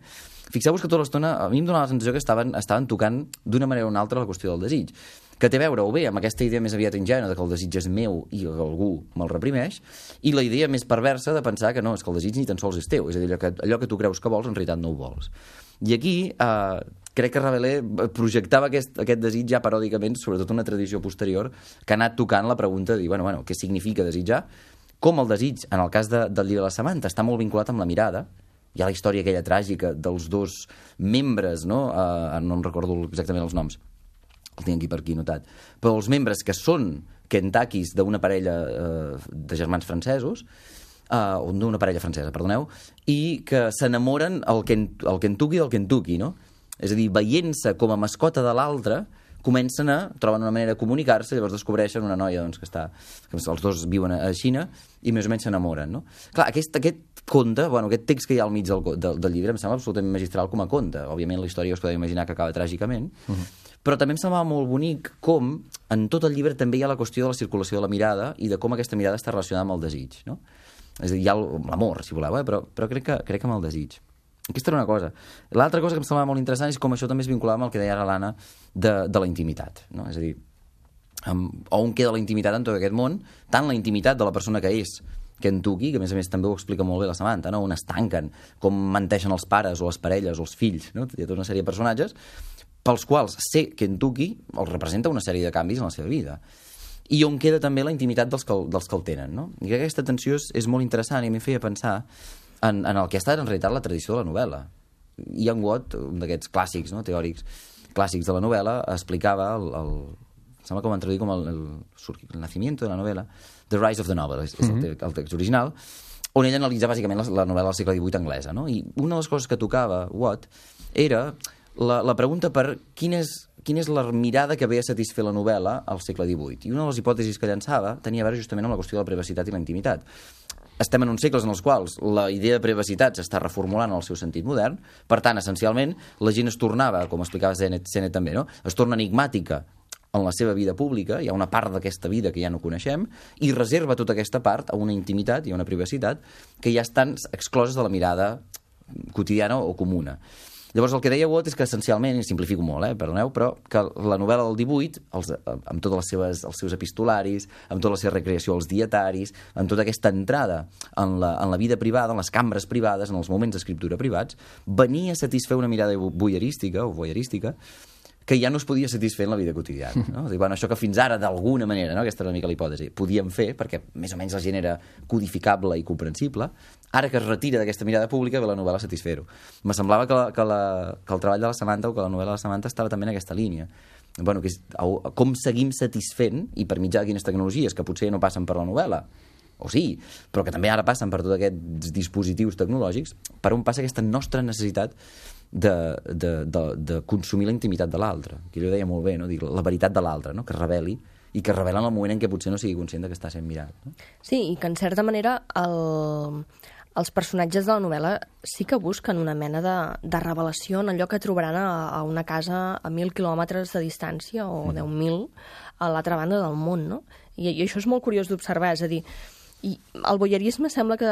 Fixeu-vos que tota l'estona a mi em donava la sensació que estaven, estaven tocant d'una manera o una altra la qüestió del desig, que té a veure o bé amb aquesta idea més aviat ingènua de que el desig és meu i que algú me'l reprimeix, i la idea més perversa de pensar que no, és que el desig ni tan sols és teu, és a dir, allò que, allò que tu creus que vols en realitat no ho vols. I aquí eh, crec que Rabelais projectava aquest, aquest desig ja paròdicament, sobretot una tradició posterior, que ha anat tocant la pregunta de dir, bueno, bueno, què significa desitjar? Com el desig, en el cas de, del llibre de la Samantha, està molt vinculat amb la mirada. Hi ha la història aquella tràgica dels dos membres, no? Uh, no em recordo exactament els noms, el tinc aquí per aquí notat, però els membres que són Kentuckys d'una parella uh, de germans francesos, uh, o d'una parella francesa, perdoneu, i que s'enamoren el, Ken, el Kentucky del Kentucky, no? És a dir, veient-se com a mascota de l'altre, comencen a, troben una manera de comunicar-se, llavors descobreixen una noia doncs, que està, que els dos viuen a Xina i més o menys s'enamoren, no? Clar, aquest, aquest conte, bueno, aquest text que hi ha al mig del, del, del llibre em sembla absolutament magistral com a conte. Òbviament la història us podeu imaginar que acaba tràgicament, uh-huh. Però també em semblava molt bonic com en tot el llibre també hi ha la qüestió de la circulació de la mirada i de com aquesta mirada està relacionada amb el desig, no? És a dir, hi ha l'amor, si voleu, eh? però, però crec que, crec que amb el desig. Aquesta era una cosa. L'altra cosa que em semblava molt interessant és com això també es vinculava amb el que deia ara l'Anna de, de la intimitat, no? És a dir, amb, on queda la intimitat en tot aquest món, tant la intimitat de la persona que és Kentucky, que a més a més també ho explica molt bé la Samantha, no? On es tanquen, com menteixen els pares o les parelles o els fills, no? Hi ha tota una sèrie de personatges pels quals ser Kentucky els representa una sèrie de canvis en la seva vida. I on queda també la intimitat dels que, dels que el tenen, no? I crec que aquesta tensió és, és molt interessant i a mi feia pensar En, en el que ha estat en realitat la tradició de la novel·la. Ian Watt, un d'aquests clàssics, no, teòrics clàssics de la novel·la, explicava el, el, sembla que ho van traduir com el, el, el nacimiento de la novel·la, The Rise of the Novel, és, és el, te, el text original, on ell analitza bàsicament la, la novel·la del segle divuit anglesa, no? I una de les coses que tocava Watt era la, la pregunta per quina és, quina és la mirada que ve a satisfer la novel·la al segle divuit. I una de les hipòtesis que llançava tenia a veure justament amb la qüestió de la privacitat i la intimitat. Estem en uns segles en els quals la idea de privacitat s'està reformulant en el seu sentit modern, per tant, essencialment, la gent es tornava, com explicava Sennett, Sennett també, no? Es torna enigmàtica en la seva vida pública, hi ha una part d'aquesta vida que ja no coneixem, i reserva tota aquesta part a una intimitat i a una privacitat que ja estan excloses de la mirada quotidiana o comuna. Llavors, el que deia Watt és que, essencialment, i simplifico molt, eh, perdoneu, però que la novel·la del divuit, els, amb tots les seves, els seus epistolaris, amb tota la seva recreació als dietaris, amb tota aquesta entrada en la, en la vida privada, en les cambres privades, en els moments d'escriptura privats, venia a satisfer una mirada voyeurística o voyeurística que ja no es podia satisfer en la vida quotidiana. No? És dir, bueno, això que fins ara, d'alguna manera, no? Aquesta era una mica la hipòtesi, podíem fer, perquè més o menys la gent era codificable i comprensible, ara que es retira d'aquesta mirada pública ve la novel·la a satisfer-ho. Me semblava que, la, que, la, que el treball de la Samantha o que la novel·la de la Samantha estava també en aquesta línia. Bueno, que és, com seguim satisfent, i per mitjà de quines tecnologies, que potser no passen per la novel·la, o sí, però que també ara passen per tots aquests dispositius tecnològics, per on passa aquesta nostra necessitat de, de, de, de consumir la intimitat de l'altre, que ell ho deia molt bé, no? Dic, la veritat de l'altre, no? Que es reveli, i que es revela en el moment en què potser no sigui conscient de que està sent mirat. No? Sí, i que en certa manera el, els personatges de la novel·la sí que busquen una mena de, de revelació en allò que trobaran a, a una casa a mil quilòmetres de distància, o mm. deu mil, a l'altra banda del món, no? I, i això és molt curiós d'observar, és a dir, i el voyeurisme sembla que,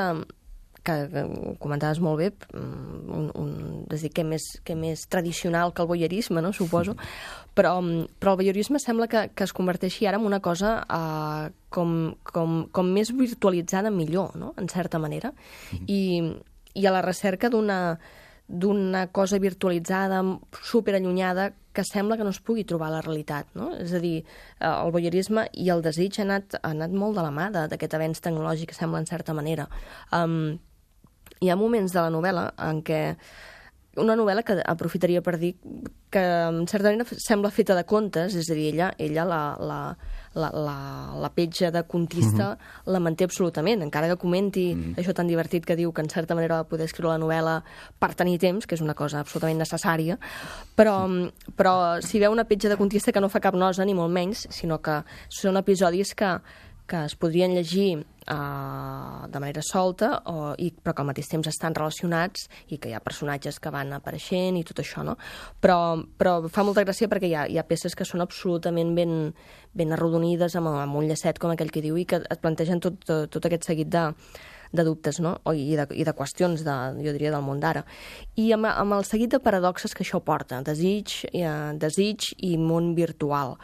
que, que ho comentaves molt bé, un, un, és a dir, que més, que més tradicional que el voyeurisme, no? Suposo, però, però el voyeurisme sembla que, que es converteixi ara en una cosa uh, com, com, com més virtualitzada millor, no? En certa manera, i, i a la recerca d'una d'una cosa virtualitzada, superallunyada, que sembla que no es pugui trobar a la realitat, no? És a dir, el voyeurisme i el desig ha anat, ha anat molt de la mà d'aquest avenç tecnològic, que sembla en certa manera. Um, hi ha moments de la novel·la en què una novel·la que aprofitaria per dir que en certa manera sembla feta de contes, és a dir, ella, ella la, la, la, la, la petja de contista mm-hmm. la manté absolutament, encara que comenti mm-hmm. això tan divertit que diu que en certa manera va poder escriure la novel·la per tenir temps, que és una cosa absolutament necessària, però, però si veu una petja de contista que no fa cap nosa, ni molt menys, sinó que són episodis que que es podrien llegir uh, de manera solta, o, i, però que al mateix temps estan relacionats i que hi ha personatges que van apareixent i tot això, no? Però, però fa molta gràcia perquè hi ha, hi ha peces que són absolutament ben, ben arrodonides, amb, amb un llacet com aquell que diu, i que et plantegen tot, tot, tot aquest seguit de, de dubtes, no? O, i, de, i de qüestions, de, jo diria, del món d'ara. I amb, amb el seguit de paradoxes que això porta, desig, eh, desig i món virtual.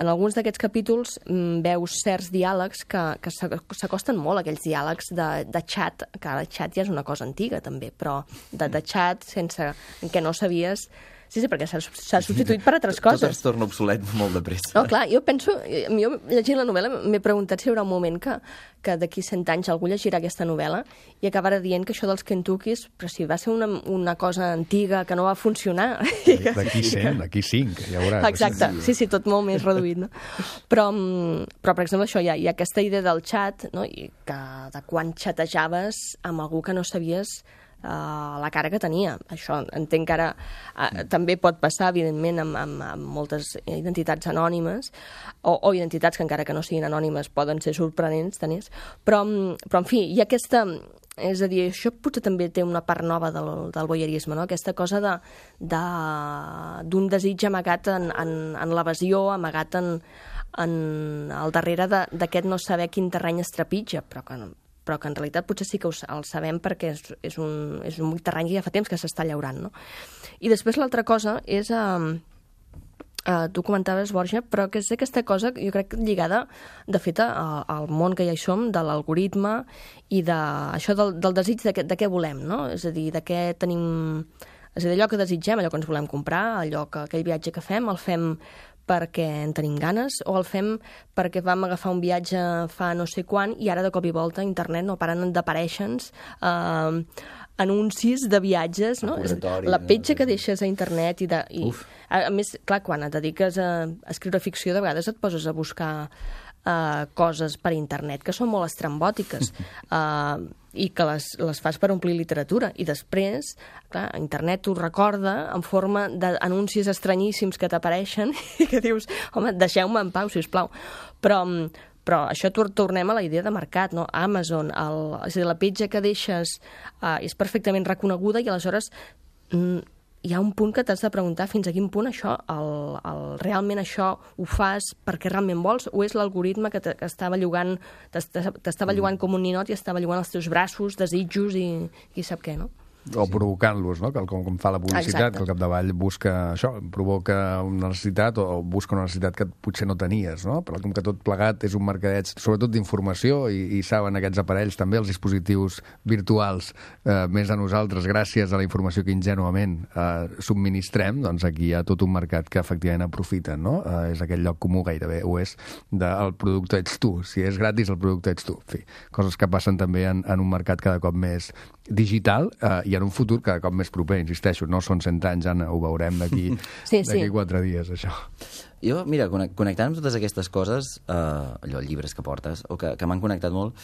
En alguns d'aquests capítols mm, veus certs diàlegs que, que s'acosten molt a aquells diàlegs de, de xat, que ara el xat ja és una cosa antiga també, però de, de xat sense, en què no sabies... Sí, sí, perquè s'ha substituït per altres coses. Tot es torna obsolet molt de pressa. No, clar, jo penso... Jo, llegint la novel·la, m'he preguntat si hi haurà un moment que, que d'aquí cent anys algú llegirà aquesta novel·la i acabarà dient que això dels Kentuckys, però si va ser una, una cosa antiga que no va funcionar... D'aquí cent, d'aquí cinc, ja veuràs. Exacte, sí, sí, tot molt més reduït, no? Però, però per exemple, això, hi ha, hi ha aquesta idea del xat, no? I que de quan xatejaves amb algú que no sabies Uh, la cara que tenia. Això entenc que ara uh, també pot passar, evidentment, amb, amb, amb moltes identitats anònimes, o, o identitats que encara que no siguin anònimes poden ser sorprenents, tenies. Però, però, en fi, hi ha aquesta... És a dir, això potser també té una part nova del, del voyeurisme, no? Aquesta cosa de, de, d'un desig amagat en, en, en l'evasió, amagat en, en, al darrere d'aquest no saber quin terreny es trepitja, però que no, però que en realitat potser sí que ho, el sabem perquè és, és, un, és un terreny que ja fa temps que s'està llaurant, no? I després l'altra cosa és... Uh, uh, tu comentaves, Borja, però que és aquesta cosa, jo crec, lligada, de fet, a, al món que ja hi som, de l'algoritme i de, això del, del desig de, de què volem, no? És a dir, de què tenim... És a dir, allò que desitgem, allò que ens volem comprar, allò que, aquell viatge que fem, el fem perquè en tenim ganes, o el fem perquè vam agafar un viatge fa no sé quan i ara de cop i volta a internet no paren d'aparèixer-nos eh, anuncis de viatges, no? La petja que deixes a internet i, de, i a, a més, clar, quan et dediques a, a escriure ficció, de vegades et poses a buscar Uh, coses per internet que són molt estrambòtiques uh, i que les, les fas per omplir literatura, i després clar, internet t'ho recorda en forma d'anuncis estranyíssims que t'apareixen i que dius, home, deixeu-me en pau, sisplau. Però, però això tornem a la idea de mercat, no? Amazon, el, és a dir, la petja que deixes uh, és perfectament reconeguda i aleshores mm, hi ha un punt que t'has de preguntar fins a quin punt això, el, el, realment això ho fas perquè realment vols, o és l'algoritme que t'estava llogant, t'estava llogant com un ninot i estava llogant els teus braços, desitjos i qui sap què, no? O provocant-los, no? Com, com fa la publicitat, Exacte. que al capdavall busca això, provoca una necessitat o busca una necessitat que potser no tenies, no? Però com que tot plegat és un mercadeig, sobretot d'informació, i, i saben aquests aparells també, els dispositius virtuals, eh, més a nosaltres, gràcies a la informació que ingenuament eh, subministrem, doncs aquí hi ha tot un mercat que efectivament aprofiten, no? Eh, és aquell lloc comú gairebé, o és del producte ets tu. Si és gratis, el producte ets tu. En fi, coses que passen també en, en un mercat cada cop més digital eh, i en un futur cada cop més proper, insisteixo, no són cent anys, Anna, ho veurem d'aquí sí, d'aquí sí. quatre dies, això. Jo, mira, connectant amb totes aquestes coses, eh, allò, llibres que portes, o que, que m'han connectat molt,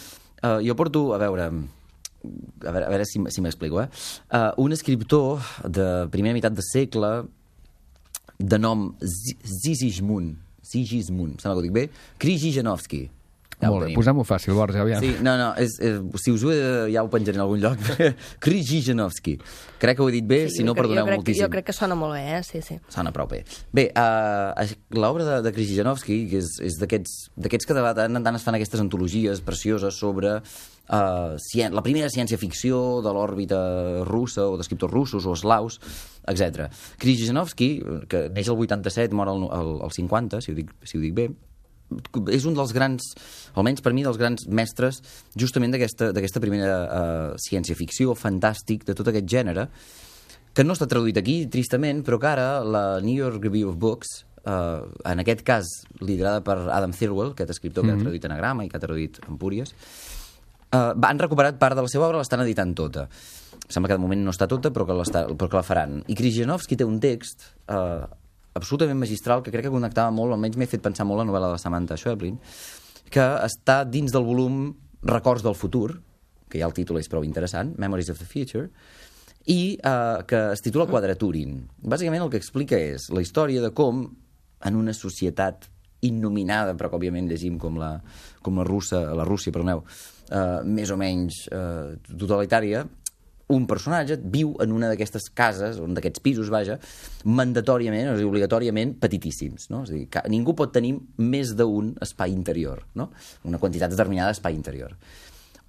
eh, jo porto, a veure, a veure, a veure si, si m'explico, eh? Uh, un escriptor de primera meitat de segle de nom Sigismund, Sigismund, sembla que ho dic bé, Krzyżanowski. Ja Molt bé, posem-ho fàcil, Borja, aviam. Sí, no, no, és, és, si us ho he, ja ho penjaré en algun lloc. Krzyżanowski. Crec que ho he dit bé, Sí, si no, jo crec- perdoneu jo crec, moltíssim. Jo crec que sona molt bé, eh? Sí, sí. Sona prou bé. Bé, uh, l'obra de, de Krzyżanowski, que és, és d'aquests que de tant en tant es fan aquestes antologies precioses sobre uh, cien, la primera ciència-ficció de l'òrbita russa o d'escriptors russos o eslaus, etcètera. Krzyżanowski, que neix el vuitanta-set, mor al, al, al cinquanta, si ho dic, si ho dic bé, és un dels grans, almenys per mi, dels grans mestres justament d'aquesta primera uh, ciència-ficció, fantàstic, de tot aquest gènere, que no està traduït aquí, tristament, però que ara la New York Review of Books, uh, en aquest cas liderada per Adam Thirlwell, aquest escriptor mm-hmm. que ha traduït Anagrama i que ha traduït Empúries, Uh, han recuperat part de la seva obra, l'estan editant tota. Sembla que de moment no està tota, però que, però que la faran. I Krzyżanowski té un text uh, absolutament magistral que crec que connectava molt, almenys m'he fet pensar molt la novel·la de Samantha Schweblin, que està dins del volum Records del futur, que ja el títol és prou interessant, Memories of the Future, i uh, que es titula Quadraturin. Bàsicament el que explica és la història de com en una societat innominada, però que òbviament llegim com la, com la russa, la Rússia, perdoneu, uh, més o menys uh, totalitària, un personatge viu en una d'aquestes cases, un d'aquests pisos, vaja, mandatòriament, o sigui, obligatòriament, petitíssims, no? És a dir, que ningú pot tenir més d'un espai interior, no? Una quantitat determinada d'espai interior.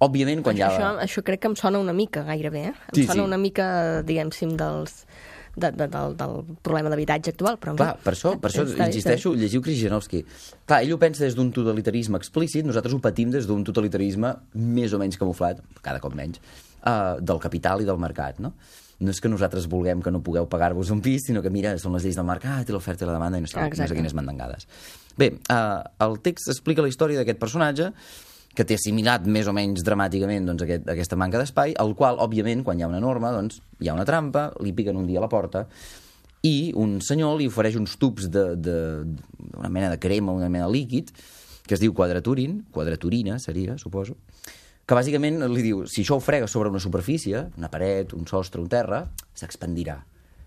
Òbviament, quan això, hi ha... Això, això crec que em sona una mica, gairebé, eh? Em Sí, sona sí. una mica, diguem-sim, dels... De, de, del, del problema d'habitatge actual, però... Clar, per això, per això Està bé, insisteixo, llegiu Krzyżanowski. Clar, ell ho pensa des d'un totalitarisme explícit, nosaltres ho patim des d'un totalitarisme més o menys camuflat, cada cop menys, uh, del capital i del mercat, no? No és que nosaltres vulguem que no pugueu pagar-vos un pis, sinó que, mira, són les lleis del mercat i l'oferta i la demanda i no sé, no sé quines mandangades. Bé, uh, el text explica la història d'aquest personatge que té assimilat més o menys dramàticament doncs, aquest, aquesta manca d'espai, el qual, òbviament, quan hi ha una norma, doncs, hi ha una trampa, li piquen un dia a la porta i un senyor li ofereix uns tubs de, de, una mena de crema, una mena de líquid, que es diu quadraturin, quadraturina seria, suposo, que bàsicament li diu, si això ho fregues sobre una superfície, una paret, un sostre, un terra, s'expandirà.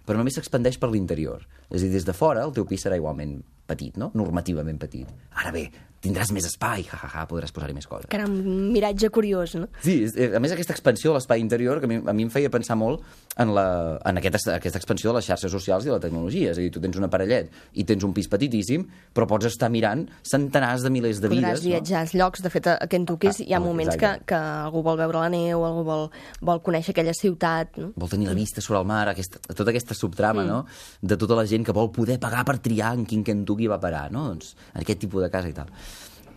Però només s'expandeix per l'interior. És a dir, des de fora el teu pis serà igualment petit, no? Normativament petit. Ara bé, tindràs més espai, ja, ja, ja, podràs posar-hi més coses. Que era un miratge curiós, no? Sí, a més aquesta expansió de l'espai interior que a mi, a mi em feia pensar molt en, la, en aquesta, aquesta expansió de les xarxes socials i de la tecnologia. És a dir, tu tens un aparellet i tens un pis petitíssim, però pots estar mirant centenars de milers de vides. Podràs viatjar als llocs. De fet, a Kentucky Ah, hi ha moments que, exacte. que algú vol veure la neu, algú vol, vol conèixer aquella ciutat, no? Vol tenir la vista sobre el mar, aquesta, tota aquesta subtrama, mm. no?, de tota la gent que vol poder pagar per triar en quin Kentucky va parar, no?, doncs, en aquest tipus de casa i tal.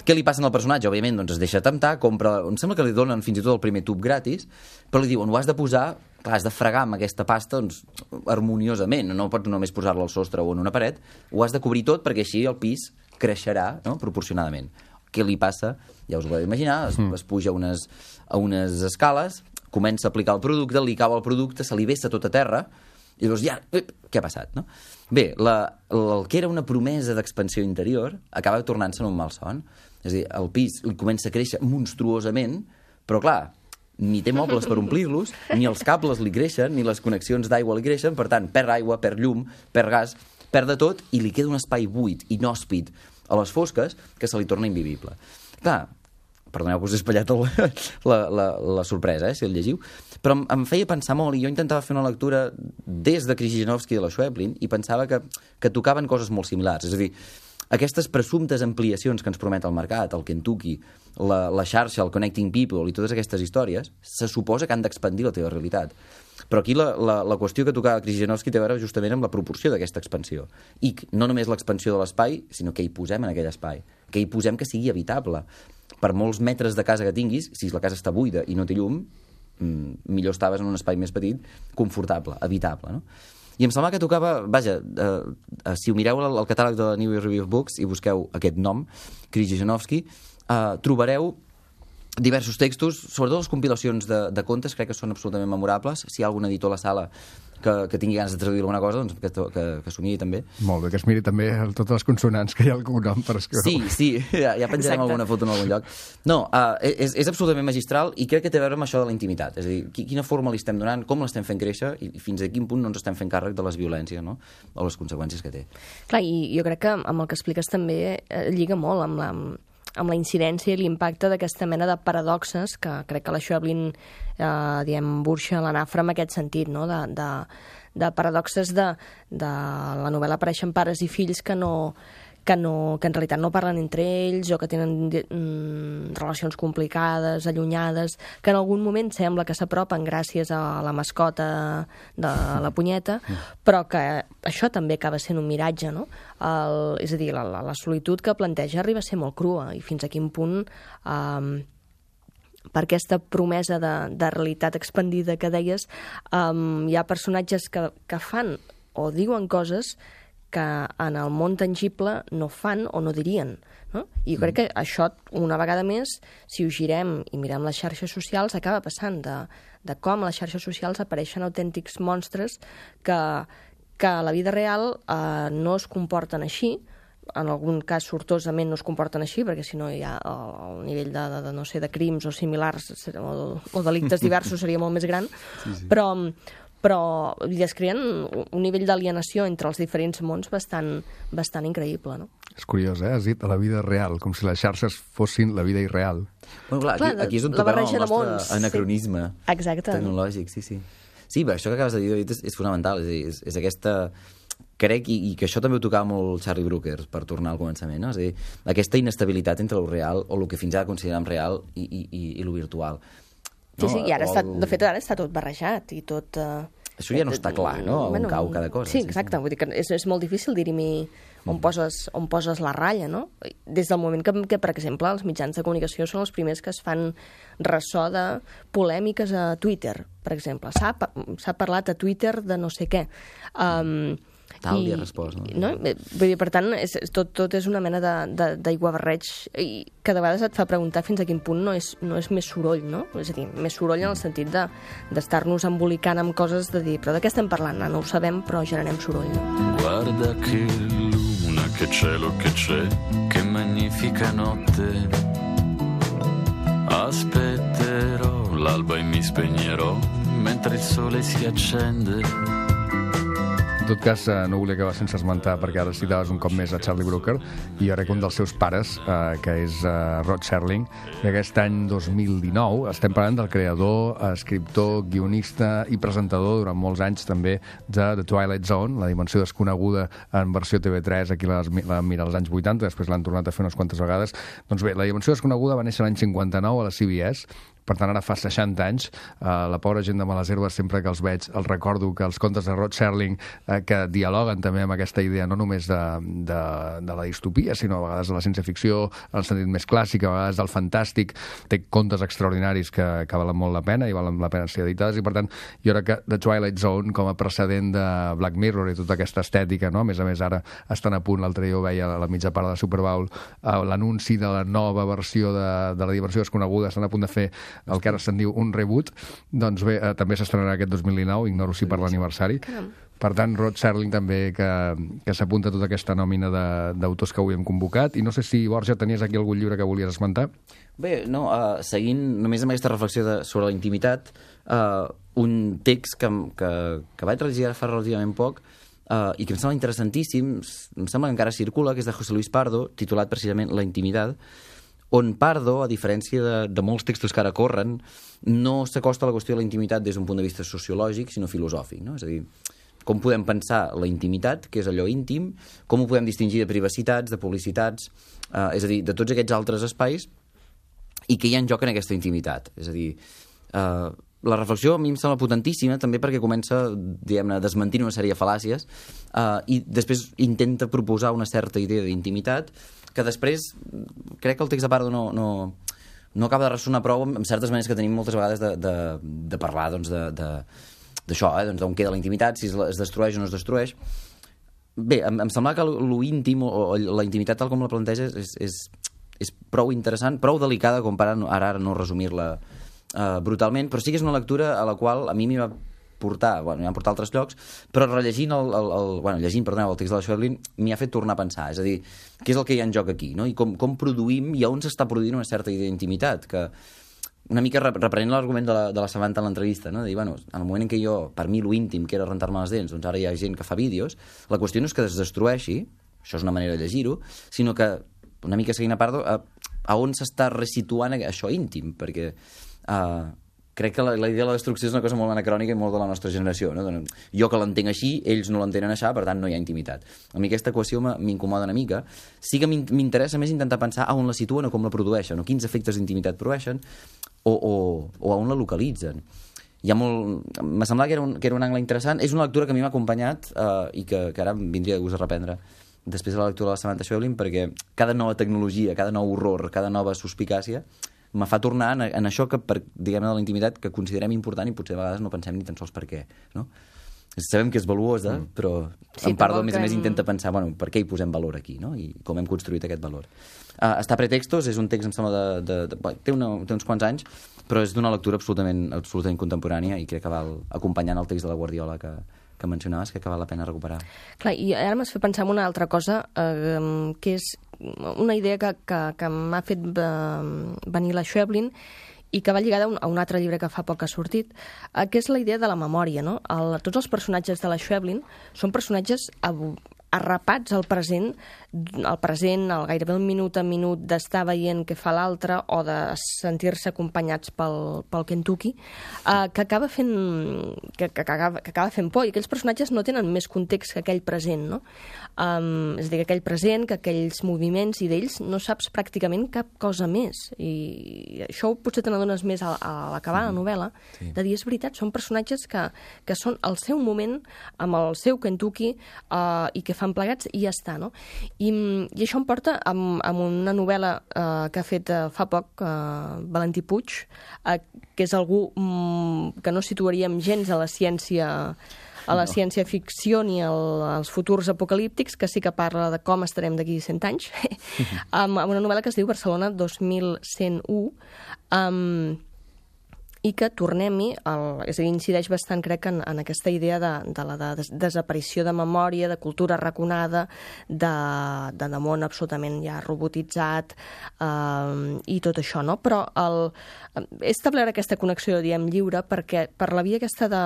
Què li passa al personatge? Òbviament, doncs es deixa temptar, compra... Em sembla que li donen fins i tot el primer tub gratis, però li diuen, ho has de posar, clar, has de fregar amb aquesta pasta, doncs, harmoniosament, no pots només posar-la al sostre o en una paret, ho has de cobrir tot perquè així el pis creixerà, no?, proporcionadament. Què li passa? Ja us ho podeu imaginar, es, es puja a unes, a unes escales, comença a aplicar el producte, li cau el producte, se li vessa tot a terra, i llavors ja, què ha passat, no? Bé, la, el que era una promesa d'expansió interior acaba tornant-se en un malson. És a dir, el pis li comença a créixer monstruosament, però clar, ni té mobles per omplir-los, ni els cables li creixen, ni les connexions d'aigua li creixen, per tant, perd aigua, perd llum, perd gas, perd de tot, i li queda un espai buit, inhòspit, a les fosques, que se li torna invivible. Clar, perdoneu que us he espatllat el, la, la, la sorpresa, eh, si el llegiu, però em, em feia pensar molt, i jo intentava fer una lectura des de Krzyżanowski i de la Schweblin, i pensava que, que tocaven coses molt similars. És a dir, aquestes presumptes ampliacions que ens promet el mercat, el Kentucky, la, la xarxa, el Connecting People i totes aquestes històries, se suposa que han d'expandir la teva realitat. Però aquí la, la, la qüestió que tocava Krzyżanowski té a veure justament amb la proporció d'aquesta expansió. I no només l'expansió de l'espai, sinó que hi posem en aquell espai, que hi posem que sigui habitable. Per molts metres de casa que tinguis, si la casa està buida i no té llum, mmm, millor estaves en un espai més petit, confortable, habitable, no? I em sembla que tocava, vaja, eh, eh, si ho mireu al, al catàleg de la New York Review of Books i busqueu aquest nom, Krzyżanowski, eh, trobareu diversos textos, sobretot les compilacions de, de contes, crec que són absolutament memorables. Si hi ha algun editor a la sala que, que tingui ganes de traduir alguna cosa, doncs que, que, que s'ho miri també. Molt bé, que es miri també totes les consonants que hi ha algun nom per escriure. Sí, sí, ja, ja penjarem Exacte. alguna foto en algun lloc. No, uh, és, és absolutament magistral i crec que té a veure amb això de la intimitat. És a dir, quina forma li estem donant, com l'estem fent créixer i fins a quin punt no ens estem fent càrrec de les violències, no?, o les conseqüències que té. Clar, i jo crec que amb el que expliques també eh, lliga molt amb la, amb la incidència i l'impacte d'aquesta mena de paradoxes que crec que la Schweblin, eh, diem, burxa l'anafra en aquest sentit, no?, de, de, de paradoxes de, de la novel·la apareixen pares i fills que no, que, no, que en realitat no parlen entre ells o que tenen mm, relacions complicades, allunyades, que en algun moment sembla que s'apropen gràcies a la mascota de la punyeta, però que això també acaba sent un miratge, no? El, és a dir, la, la, la solitud que planteja arriba a ser molt crua i fins a quin punt... Eh, per aquesta promesa de, de realitat expandida que deies, um, hi ha personatges que, que fan o diuen coses que en el món tangible no fan o no dirien. No? I jo crec que això, una vegada més, si ho girem i mirem les xarxes socials, acaba passant de, de com a les xarxes socials apareixen autèntics monstres que, que a la vida real eh, no es comporten així, en algun cas sortosament no es comporten així, perquè si no hi ha el nivell de, de, de, no sé, de crims o similars o, o delictes diversos seria molt més gran, sí, sí. però, però es creen un nivell d'alienació entre els diferents mons bastant, bastant increïble, no? És curiós, eh? Has dit a la vida real, com si les xarxes fossin la vida irreal. Bueno, clar, clar, aquí, aquí és on la tocava el barreja de nostre mons, anacronisme sí. Exacte. tecnològic, sí, sí. Sí, però això que acabes de dir, David, és, és fonamental, és, és, és aquesta... Crec, i, i que això també ho tocava molt Charlie Brooker, per tornar al començament, no? És a dir, aquesta inestabilitat entre el real, o el que fins ara considerem real, i, i, i, i el virtual. Sí, no? sí, i ara o està, el... de fet ara està tot barrejat i tot... Uh... Això ja no està clar, no? On bueno, cau cada cosa. Sí, exacte. Sí, sí. Vull dir que és, és molt difícil dirimir on, mm. poses, on poses la ratlla, no? Des del moment que, que, per exemple, els mitjans de comunicació són els primers que es fan ressò de polèmiques a Twitter, per exemple. S'ha parlat a Twitter de no sé què. Um, Tal i ha respost, no? no? Vull dir, per tant, és, tot, tot és una mena d'aiguabarreig i que de vegades et fa preguntar fins a quin punt no és, no és més soroll, no? És a dir, més soroll en el sentit de, d'estar-nos embolicant amb coses de dir, però de què estem parlant? No ho sabem, però generem soroll. No? Guarda che luna, che cielo che c'è, che magnifica notte. Aspetterò l'alba e mi spegnerò mentre il sole si accende. En tot cas, eh, no volia acabar sense esmentar, perquè ara citaves un cop més a Charlie Brooker, i jo crec que un dels seus pares, eh, que és eh, Rod Serling, i aquest any dos mil dinou estem parlant del creador, escriptor, guionista i presentador durant molts anys també de The Twilight Zone, la dimensió desconeguda en versió T V tres, aquí la vam mirar als anys vuitanta, després l'han tornat a fer unes quantes vegades. Doncs bé, la dimensió desconeguda va néixer l'any cinquanta-nou a la C B S, per tant, ara fa seixanta anys. Uh, la pobra gent de Males Herbes, sempre que els veig, els recordo que els contes de Rod Serling, uh, que dialoguen també amb aquesta idea no només de, de, de la distopia, sinó a vegades de la ciència-ficció, en el sentit més clàssic, a vegades del fantàstic, té contes extraordinaris que, que valen molt la pena i valen la pena ser editades, i per tant, jo crec que The Twilight Zone, com a precedent de Black Mirror i tota aquesta estètica, no? A més a més, ara estan a punt, l'altre dia ho veia a la mitja part de la Super Bowl, uh, l'anunci de la nova versió de, de la dimensió desconeguda, estan a punt de fer el que ara se'n diu un reboot, doncs bé, eh, també s'estrenarà aquest dos mil dinou, ignoro si per l'aniversari. Per tant, Rod Serling també, que, que s'apunta a tota aquesta nòmina d'autors que avui hem convocat. I no sé si, Borja, tenies aquí algun llibre que volies esmentar? Bé, no, uh, seguint només amb aquesta reflexió de, sobre la intimitat, uh, un text que, que, que vaig rellegir ara fa relativament poc, uh, i que em sembla interessantíssim, em sembla que encara circula, que és de José Luis Pardo, titulat precisament La intimitat, on Pardo, a diferència de, de molts textos que ara corren, no s'acosta a la qüestió de la intimitat des d'un punt de vista sociològic, sinó filosòfic, no? És a dir, com podem pensar la intimitat, que és allò íntim, com ho podem distingir de privacitats, de publicitats, eh, és a dir, de tots aquests altres espais, i què hi ha en joc en aquesta intimitat. És a dir, eh, la reflexió a mi em sembla potentíssima, també perquè comença, diguem-ne, desmentint una sèrie de fal·làcies, eh, i després intenta proposar una certa idea d'intimitat, que després crec que el text de Pardo no, no, no acaba de ressonar prou amb certes maneres que tenim moltes vegades de, de, de parlar doncs, de, de, d'això, eh? Doncs d'on queda la intimitat, si es destrueix o no es destrueix. Bé, em, em sembla que lo íntim o, o la intimitat tal com la planteja és, és, és prou interessant, prou delicada com per ara, ara no resumir-la uh, brutalment, però sí que és una lectura a la qual a mi m'hi va portar, bueno, m'hi van portar a altres llocs, però rellegint el, el, el, bueno, llegint, perdoneu, el text de la Serling m'hi ha fet tornar a pensar, és a dir, què és el que hi ha en joc aquí, no? I com, com produïm i on s'està produint una certa idea d'intimitat, que una mica reprenent l'argument de la, de la Samantha en l'entrevista, no? De dir, bueno, en el moment en què jo, per mi, lo íntim, que era rentar-me les dents, doncs ara hi ha gent que fa vídeos, la qüestió no és que es destrueixi, això és una manera de llegir-ho, sinó que, una mica seguint a Pardo, a, a on s'està resituant això íntim, perquè uh, crec que la, la idea de la destrucció és una cosa molt anacrònica i molt de la nostra generació, no? Jo que l'entenc així, ells no l'entenen així, per tant no hi ha intimitat. A mi aquesta equació m'incomoda una mica. Sí que m'interessa més intentar pensar a on la situen o com la produeixen, o quins efectes d'intimitat produeixen, o, o, o a on la localitzen. Hi ha molt... M'ha semblat que era, un, que era un angle interessant. És una lectura que a mi m'ha acompanyat eh, i que, que ara em vindria de gust a reprendre després de la lectura de la Samantha Schweblin, perquè cada nova tecnologia, cada nou horror, cada nova suspicàcia me fa tornar en, en això que, per, diguem-ne, de la intimitat que considerem important i potser a vegades no pensem ni tan sols per què, no? sabem que és valuosa, mm. però Sí, en Pardo, però a més a més, que- intenta pensar, bueno, per què hi posem valor aquí, no? I com hem construït aquest valor. Uh, està a pretextos, és un text, em sembla, de, de, de, de té, una, té uns quants anys, però és d'una lectura absolutament, absolutament contemporània i crec que val acompanyant el text de la Guardiola que, que mencionaves, que val la pena recuperar. Clar, i ara m'has fet pensar en una altra cosa, eh, que és una idea que, que, que m'ha fet eh, venir la Schweblin i que va lligada a un, a un altre llibre que fa poc ha sortit, eh, que és la idea de la memòria, no? El, tots els personatges de la Schweblin són personatges ab- arrapats al present, al present, al gairebé un minut a minut d'estar veient què fa l'altre o de sentir-se acompanyats pel, pel Kentucky, eh, que, acaba fent, que, que, acaba, que acaba fent por, i aquells personatges no tenen més context que aquell present, no? Um, és a dir, que aquell present, que aquells moviments, i d'ells no saps pràcticament cap cosa més. I això potser te n'adones més a, a l'acabar la novel·la, sí. De dir, és veritat, són personatges que, que són al seu moment, amb el seu Kentucky, uh, i que fan plegats i ja està, no? I, i això em porta amb, amb una novel·la uh, que ha fet uh, fa poc uh, Valentí Puig, uh, que és algú um, que no situaríem gens a la ciència a la no. ciència-ficció ni al, als futurs apocalíptics, que sí que parla de com estarem d'aquí cent anys, amb, amb una novel·la que es diu Barcelona dos mil cent u, um, i que, tornem-hi, el, és a dir, incideix bastant, crec, en, en aquesta idea de, de la de des desaparició de memòria, de cultura raconada, de, de, de món absolutament ja robotitzat, eh, i tot això, no? Però el, he establert aquesta connexió, diem, lliure, perquè per la via aquesta de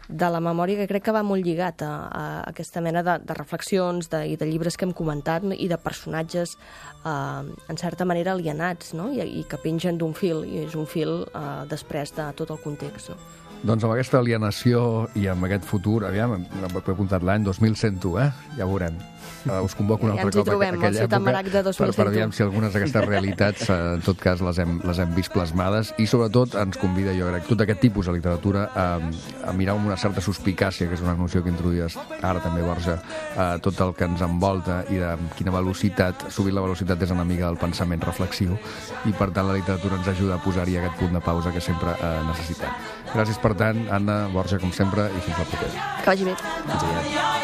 de la memòria, que crec que va molt lligat a, a aquesta mena de, de reflexions de, i de llibres que hem comentat, no? I de personatges eh, en certa manera alienats, no? I, i que pengen d'un fil, i és un fil eh, després de tot el context, no? Doncs amb aquesta alienació i amb aquest futur, aviam, he apuntat l'any dos mil cent u, eh? Ja ho veurem. Uh, us convoco un Ja altre ens hi cop trobem, a aquella al Ciutat Marac de època dos per, mil cent u. per aviam si algunes d'aquestes realitats uh, en tot cas les hem, les hem vist plasmades, i sobretot ens convida, jo crec, tot aquest tipus de literatura a, a mirar amb una certa suspicàcia, que és una noció que introduïes ara també, Borja, uh, tot el que ens envolta i de quina velocitat, sovint la velocitat és enemiga del pensament reflexiu, i per tant la literatura ens ajuda a posar-hi aquest punt de pausa que sempre uh, necessitem. Gràcies per tant, Anna, Borja, com sempre, i fins la propera. Que vagi bé. Fins aviat.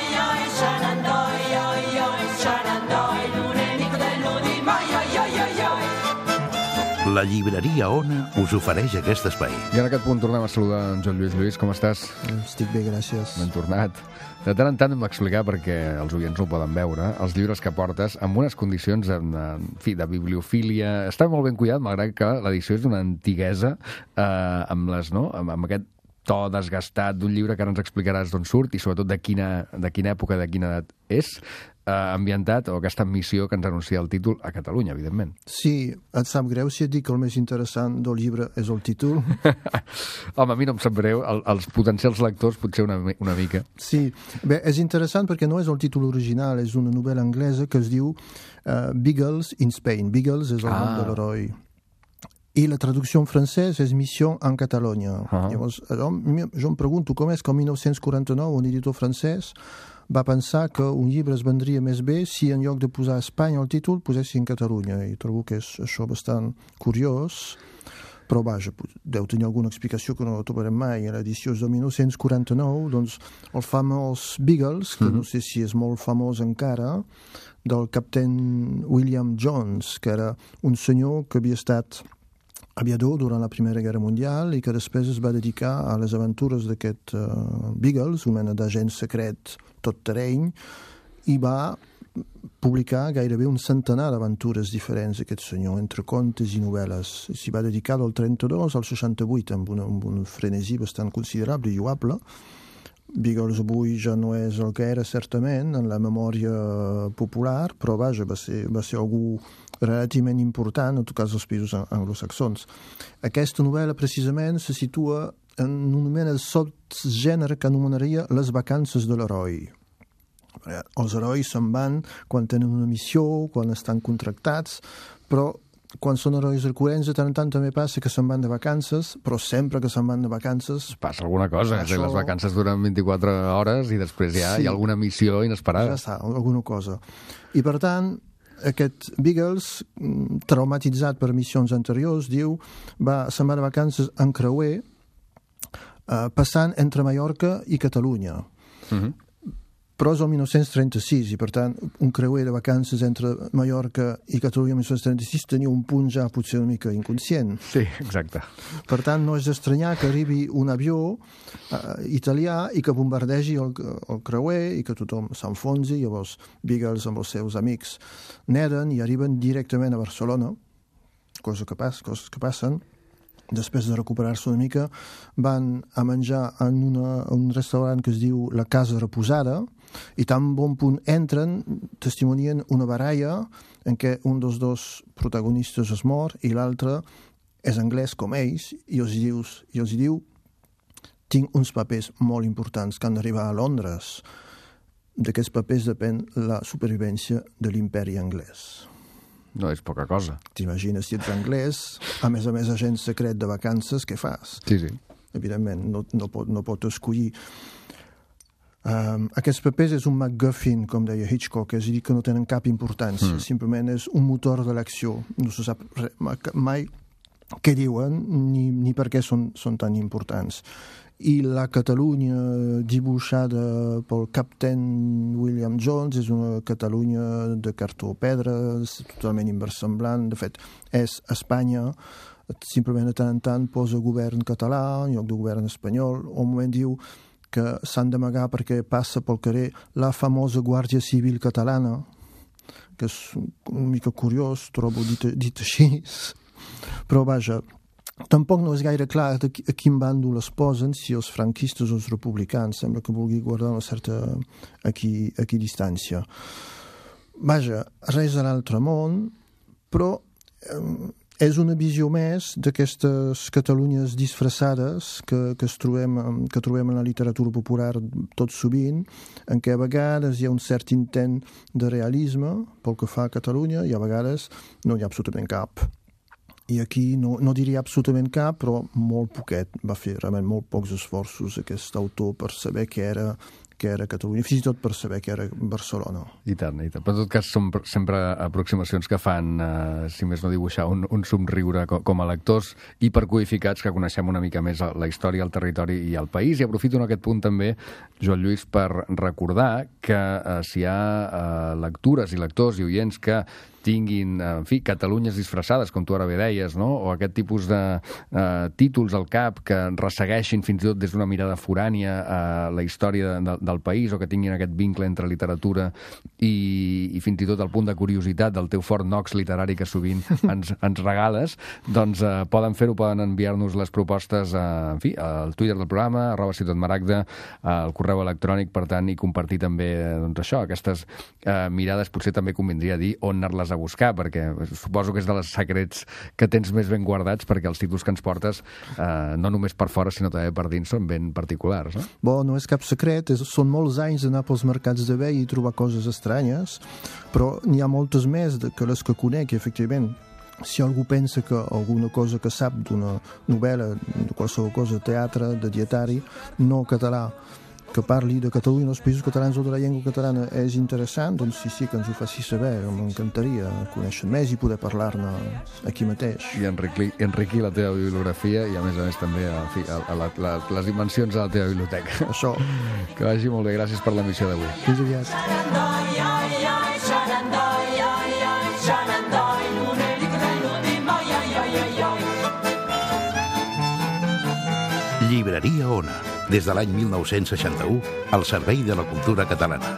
La llibreria Ona us ofereix aquest espai. I en aquest punt tornem a saludar en Joan Lluís. Lluís, com estàs? Estic bé, gràcies. Ben tornat. De tant en tant hem d'explicar, perquè els oients no ho poden veure, els llibres que portes amb unes condicions en, en fi, de bibliofília. Està molt ben cuidat, malgrat que l'edició és d'una antiguesa, eh, amb, les, no? amb, amb aquest to desgastat d'un llibre que ara ens explicaràs d'on surt i sobretot de quina, de quina època, de quina edat és, eh, ambientat, o aquesta missió que ens anuncia el títol a Catalunya, evidentment. Sí, et sap greu si et dic que el més interessant del llibre és el títol? Home, a mi no em sap greu, el, els potencials lectors potser una, una mica. Sí, bé, és interessant perquè no és el títol original, és una novel·la anglesa que es diu uh, Beagles in Spain. Beagles és el Ah. nom de l'heroi. I la traducció en francès és Mission en Catalunya. Ah. Llavors, jo, jo em pregunto com és que el mil nou-cents quaranta-nou un editor francès va pensar que un llibre es vendria més bé si en lloc de posar Espanya al títol posessin Catalunya, i trobo que és això bastant curiós, però vaja, deu tenir alguna explicació que no la trobarem mai. A l'edició és de mil nou-cents quaranta-nou, doncs el famós Beagles, que mm-hmm. no sé si és molt famós encara, del captain William Jones, que era un senyor que havia estat aviador durant la Primera Guerra Mundial i que després es va dedicar a les aventures d'aquest uh, Beagles, una mena d'agent secret tot terreny, i va publicar gairebé un centenar d'aventures diferents, aquest senyor, entre contes i novel·les. S'hi va dedicar del trenta-dos al seixanta-vuit, amb, una, amb un frenesi bastant considerable i lloable. Beagles avui ja no és el que era, certament, en la memòria popular, però vaja, va ser, va ser algú relativament important, en tot cas als països anglosaxons. Aquesta novel·la, precisament, se situa en una mena de subgènere que anomenaria les vacances de l'heroi. Els herois se'n van quan tenen una missió, quan estan contractats, però quan són herois recurrents, de tant en tant també passa que se'n van de vacances, però sempre que se'n van de vacances... Passa alguna cosa, això... les vacances duren vint-i-quatre hores i després ja sí. Hi ha alguna missió inesperada. Ja està, alguna cosa. I per tant, aquest Beagles, traumatitzat per missions anteriors, diu, va, se'n va de vacances en creuer, eh, passant entre Mallorca i Catalunya. Uh-huh. Però és el mil nou-cents trenta-sis i, per tant, un creuer de vacances entre Mallorca i Catalunya el mil nou-cents trenta-sis tenia un punt ja potser una mica inconscient. Sí, exacte. Per tant, no és d'estranyar que arribi un avió uh, italià i que bombardegi el, el creuer i que tothom s'enfonsi, llavors Beagles amb els seus amics neden i arriben directament a Barcelona, cosa que pas, coses que passen. Després de recuperar-se una mica, van a menjar en una, un restaurant que es diu La Casa Reposada, i tan bon punt entren, testimonien una baralla en què un dels dos protagonistes es mor i l'altre és anglès com ells, i els, dius, i els diu tinc uns papers molt importants que han d'arribar a Londres. D'aquests papers depèn la supervivència de l'imperi anglès. No és poca cosa. T'imagines si ets anglès, a més a més agent secret de vacances, què fas? Sí, sí. Evidentment, no, no, pot, no pot escollir. Um, aquests papers és un MacGuffin, com deia Hitchcock, és a dir, que no tenen cap importància, mm. simplement és un motor de l'acció. No se sap re, mai què diuen ni, ni per què són, són tan importants. I la Catalunya dibuixada pel captain William Jones és una Catalunya de cartó pedra, totalment inversemblant. De fet, és Espanya, simplement de tant en tant posa govern català en lloc de govern espanyol, o un moment diu que s'han d'amagar perquè passa pel carrer la famosa Guàrdia Civil catalana, que és una mica curiós, trobo dit, dit així, però vaja, tampoc no és gaire clar a quin bàndol es posen, si els franquistes o els republicans. Sembla que vulgui guardar una certa aquí, aquí distància. Vaja, res de l'altre món, però eh, és una visió més d'aquestes Catalunyes disfressades que, que, es trobem, que trobem en la literatura popular tot sovint, en què a vegades hi ha un cert intent de realisme pel que fa a Catalunya i a vegades no hi ha absolutament cap. I aquí no, no diria absolutament cap, però molt poquet. Va fer realment molt pocs esforços aquest autor per saber què era, què era Catalunya, fins i tot per saber què era Barcelona. I tant, i tant. Però en tot cas són sempre aproximacions que fan, eh, si més no dibuixar, un, un somriure com, com a lectors i per codificats que coneixem una mica més la història, el territori i el país. I aprofito en aquest punt també, Joan Lluís, per recordar que eh, si hi ha eh, lectures i lectors i oients que tinguin, en fi, Catalunyes disfressades, com tu ara bé deies, no? O aquest tipus de eh, títols al cap que ressegueixin fins i tot des d'una mirada forània a eh, la història de, del país, o que tinguin aquest vincle entre literatura i, i fins i tot el punt de curiositat del teu Fort Knox literari que sovint ens, ens regales, doncs eh, poden fer-ho, poden enviar-nos les propostes eh, en fi, al Twitter del programa, arroba Ciutat Maragda, al correu electrònic, per tant, i compartir també doncs, això, aquestes eh, mirades. Potser també convindria dir on anar-les a buscar, perquè suposo que és de les secrets que tens més ben guardats, perquè els títols que ens portes, eh, no només per fora, sinó també per dins, són ben particulars, no? Bo, no és cap secret, és, són molts anys d'anar pels mercats de bé i trobar coses estranyes, però n'hi ha moltes més de, que les que conec, i efectivament, si algú pensa que alguna cosa que sap d'una novel·la, de qualsevol cosa, de teatre, de dietari, no català, que parli de Catalunya, dels països catalans o de la llengua catalana és interessant, doncs sí, sí, que ens ho faci saber. M'encantaria conèixer més i poder parlar-ne aquí mateix. I enriquir, enriquir la teva bibliografia i, a més a més, també a, a, a la, la, les dimensions de la teva biblioteca. Això. Que vagi molt bé. Gràcies per l'emissió d'avui. Fins aviat. Llibreria Ona, des de l'any mil nou-cents seixanta-u, al servei de la cultura catalana,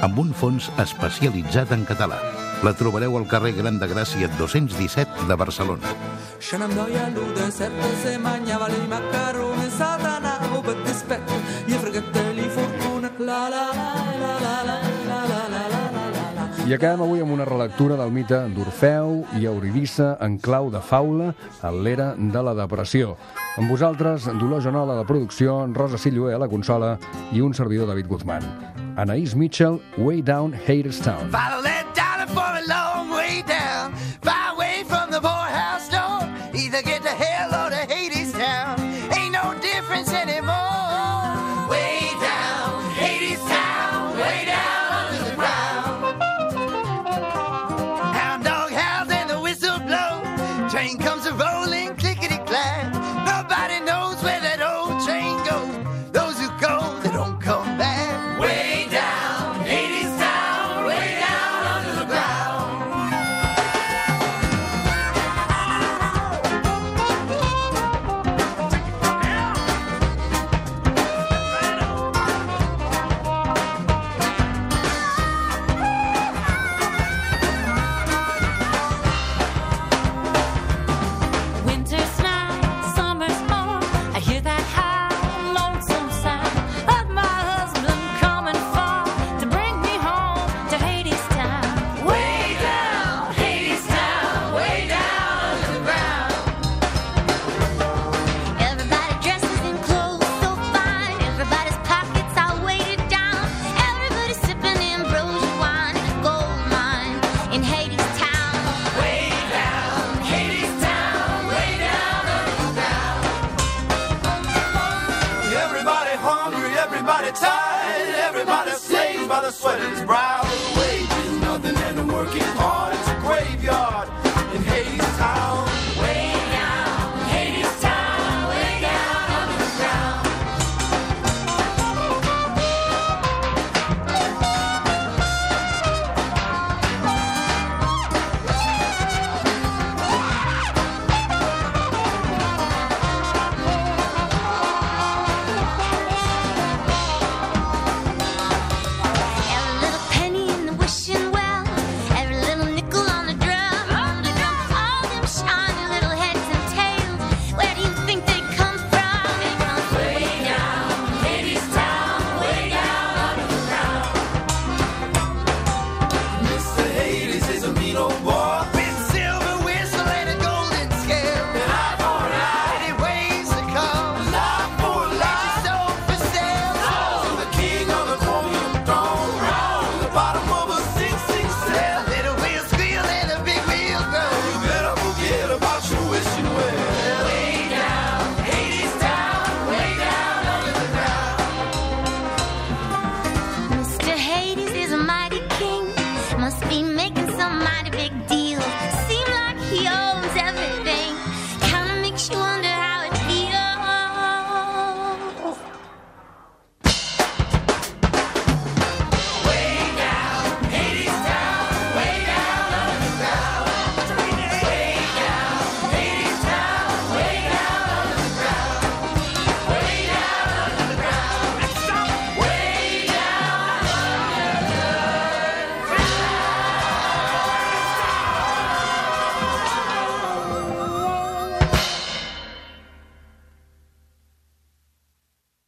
amb un fons especialitzat en català. La trobareu al carrer Gran de Gràcia dos-cents disset de Barcelona. Shenandoah lude sette se mangiava i macaroni satana o per dispetto gli fratelli fortuna la la la la la la la la la la. I acabem avui amb una relectura del mite d'Orfeu i Eurídice en clau de faula a l'era de la depressió. Amb vosaltres, Dolors Joanola a la producció, Rosa Silloé a la consola i un servidor, David Guzmán. Anaïs Mitchell, Way Down Hadestown. Follow that dollar for a long way down, far away from the poorhouse door. Either get to hell or to Hadestown. Ain't no difference anymore. Way down Hadestown, way down under the ground. Hound dog howls and the whistle blows. Train comes a rolling, clickety clack. Nobody knows where that old train goes. Those who go, they don't come back. Way Everybody slaves by the sweat of his brow.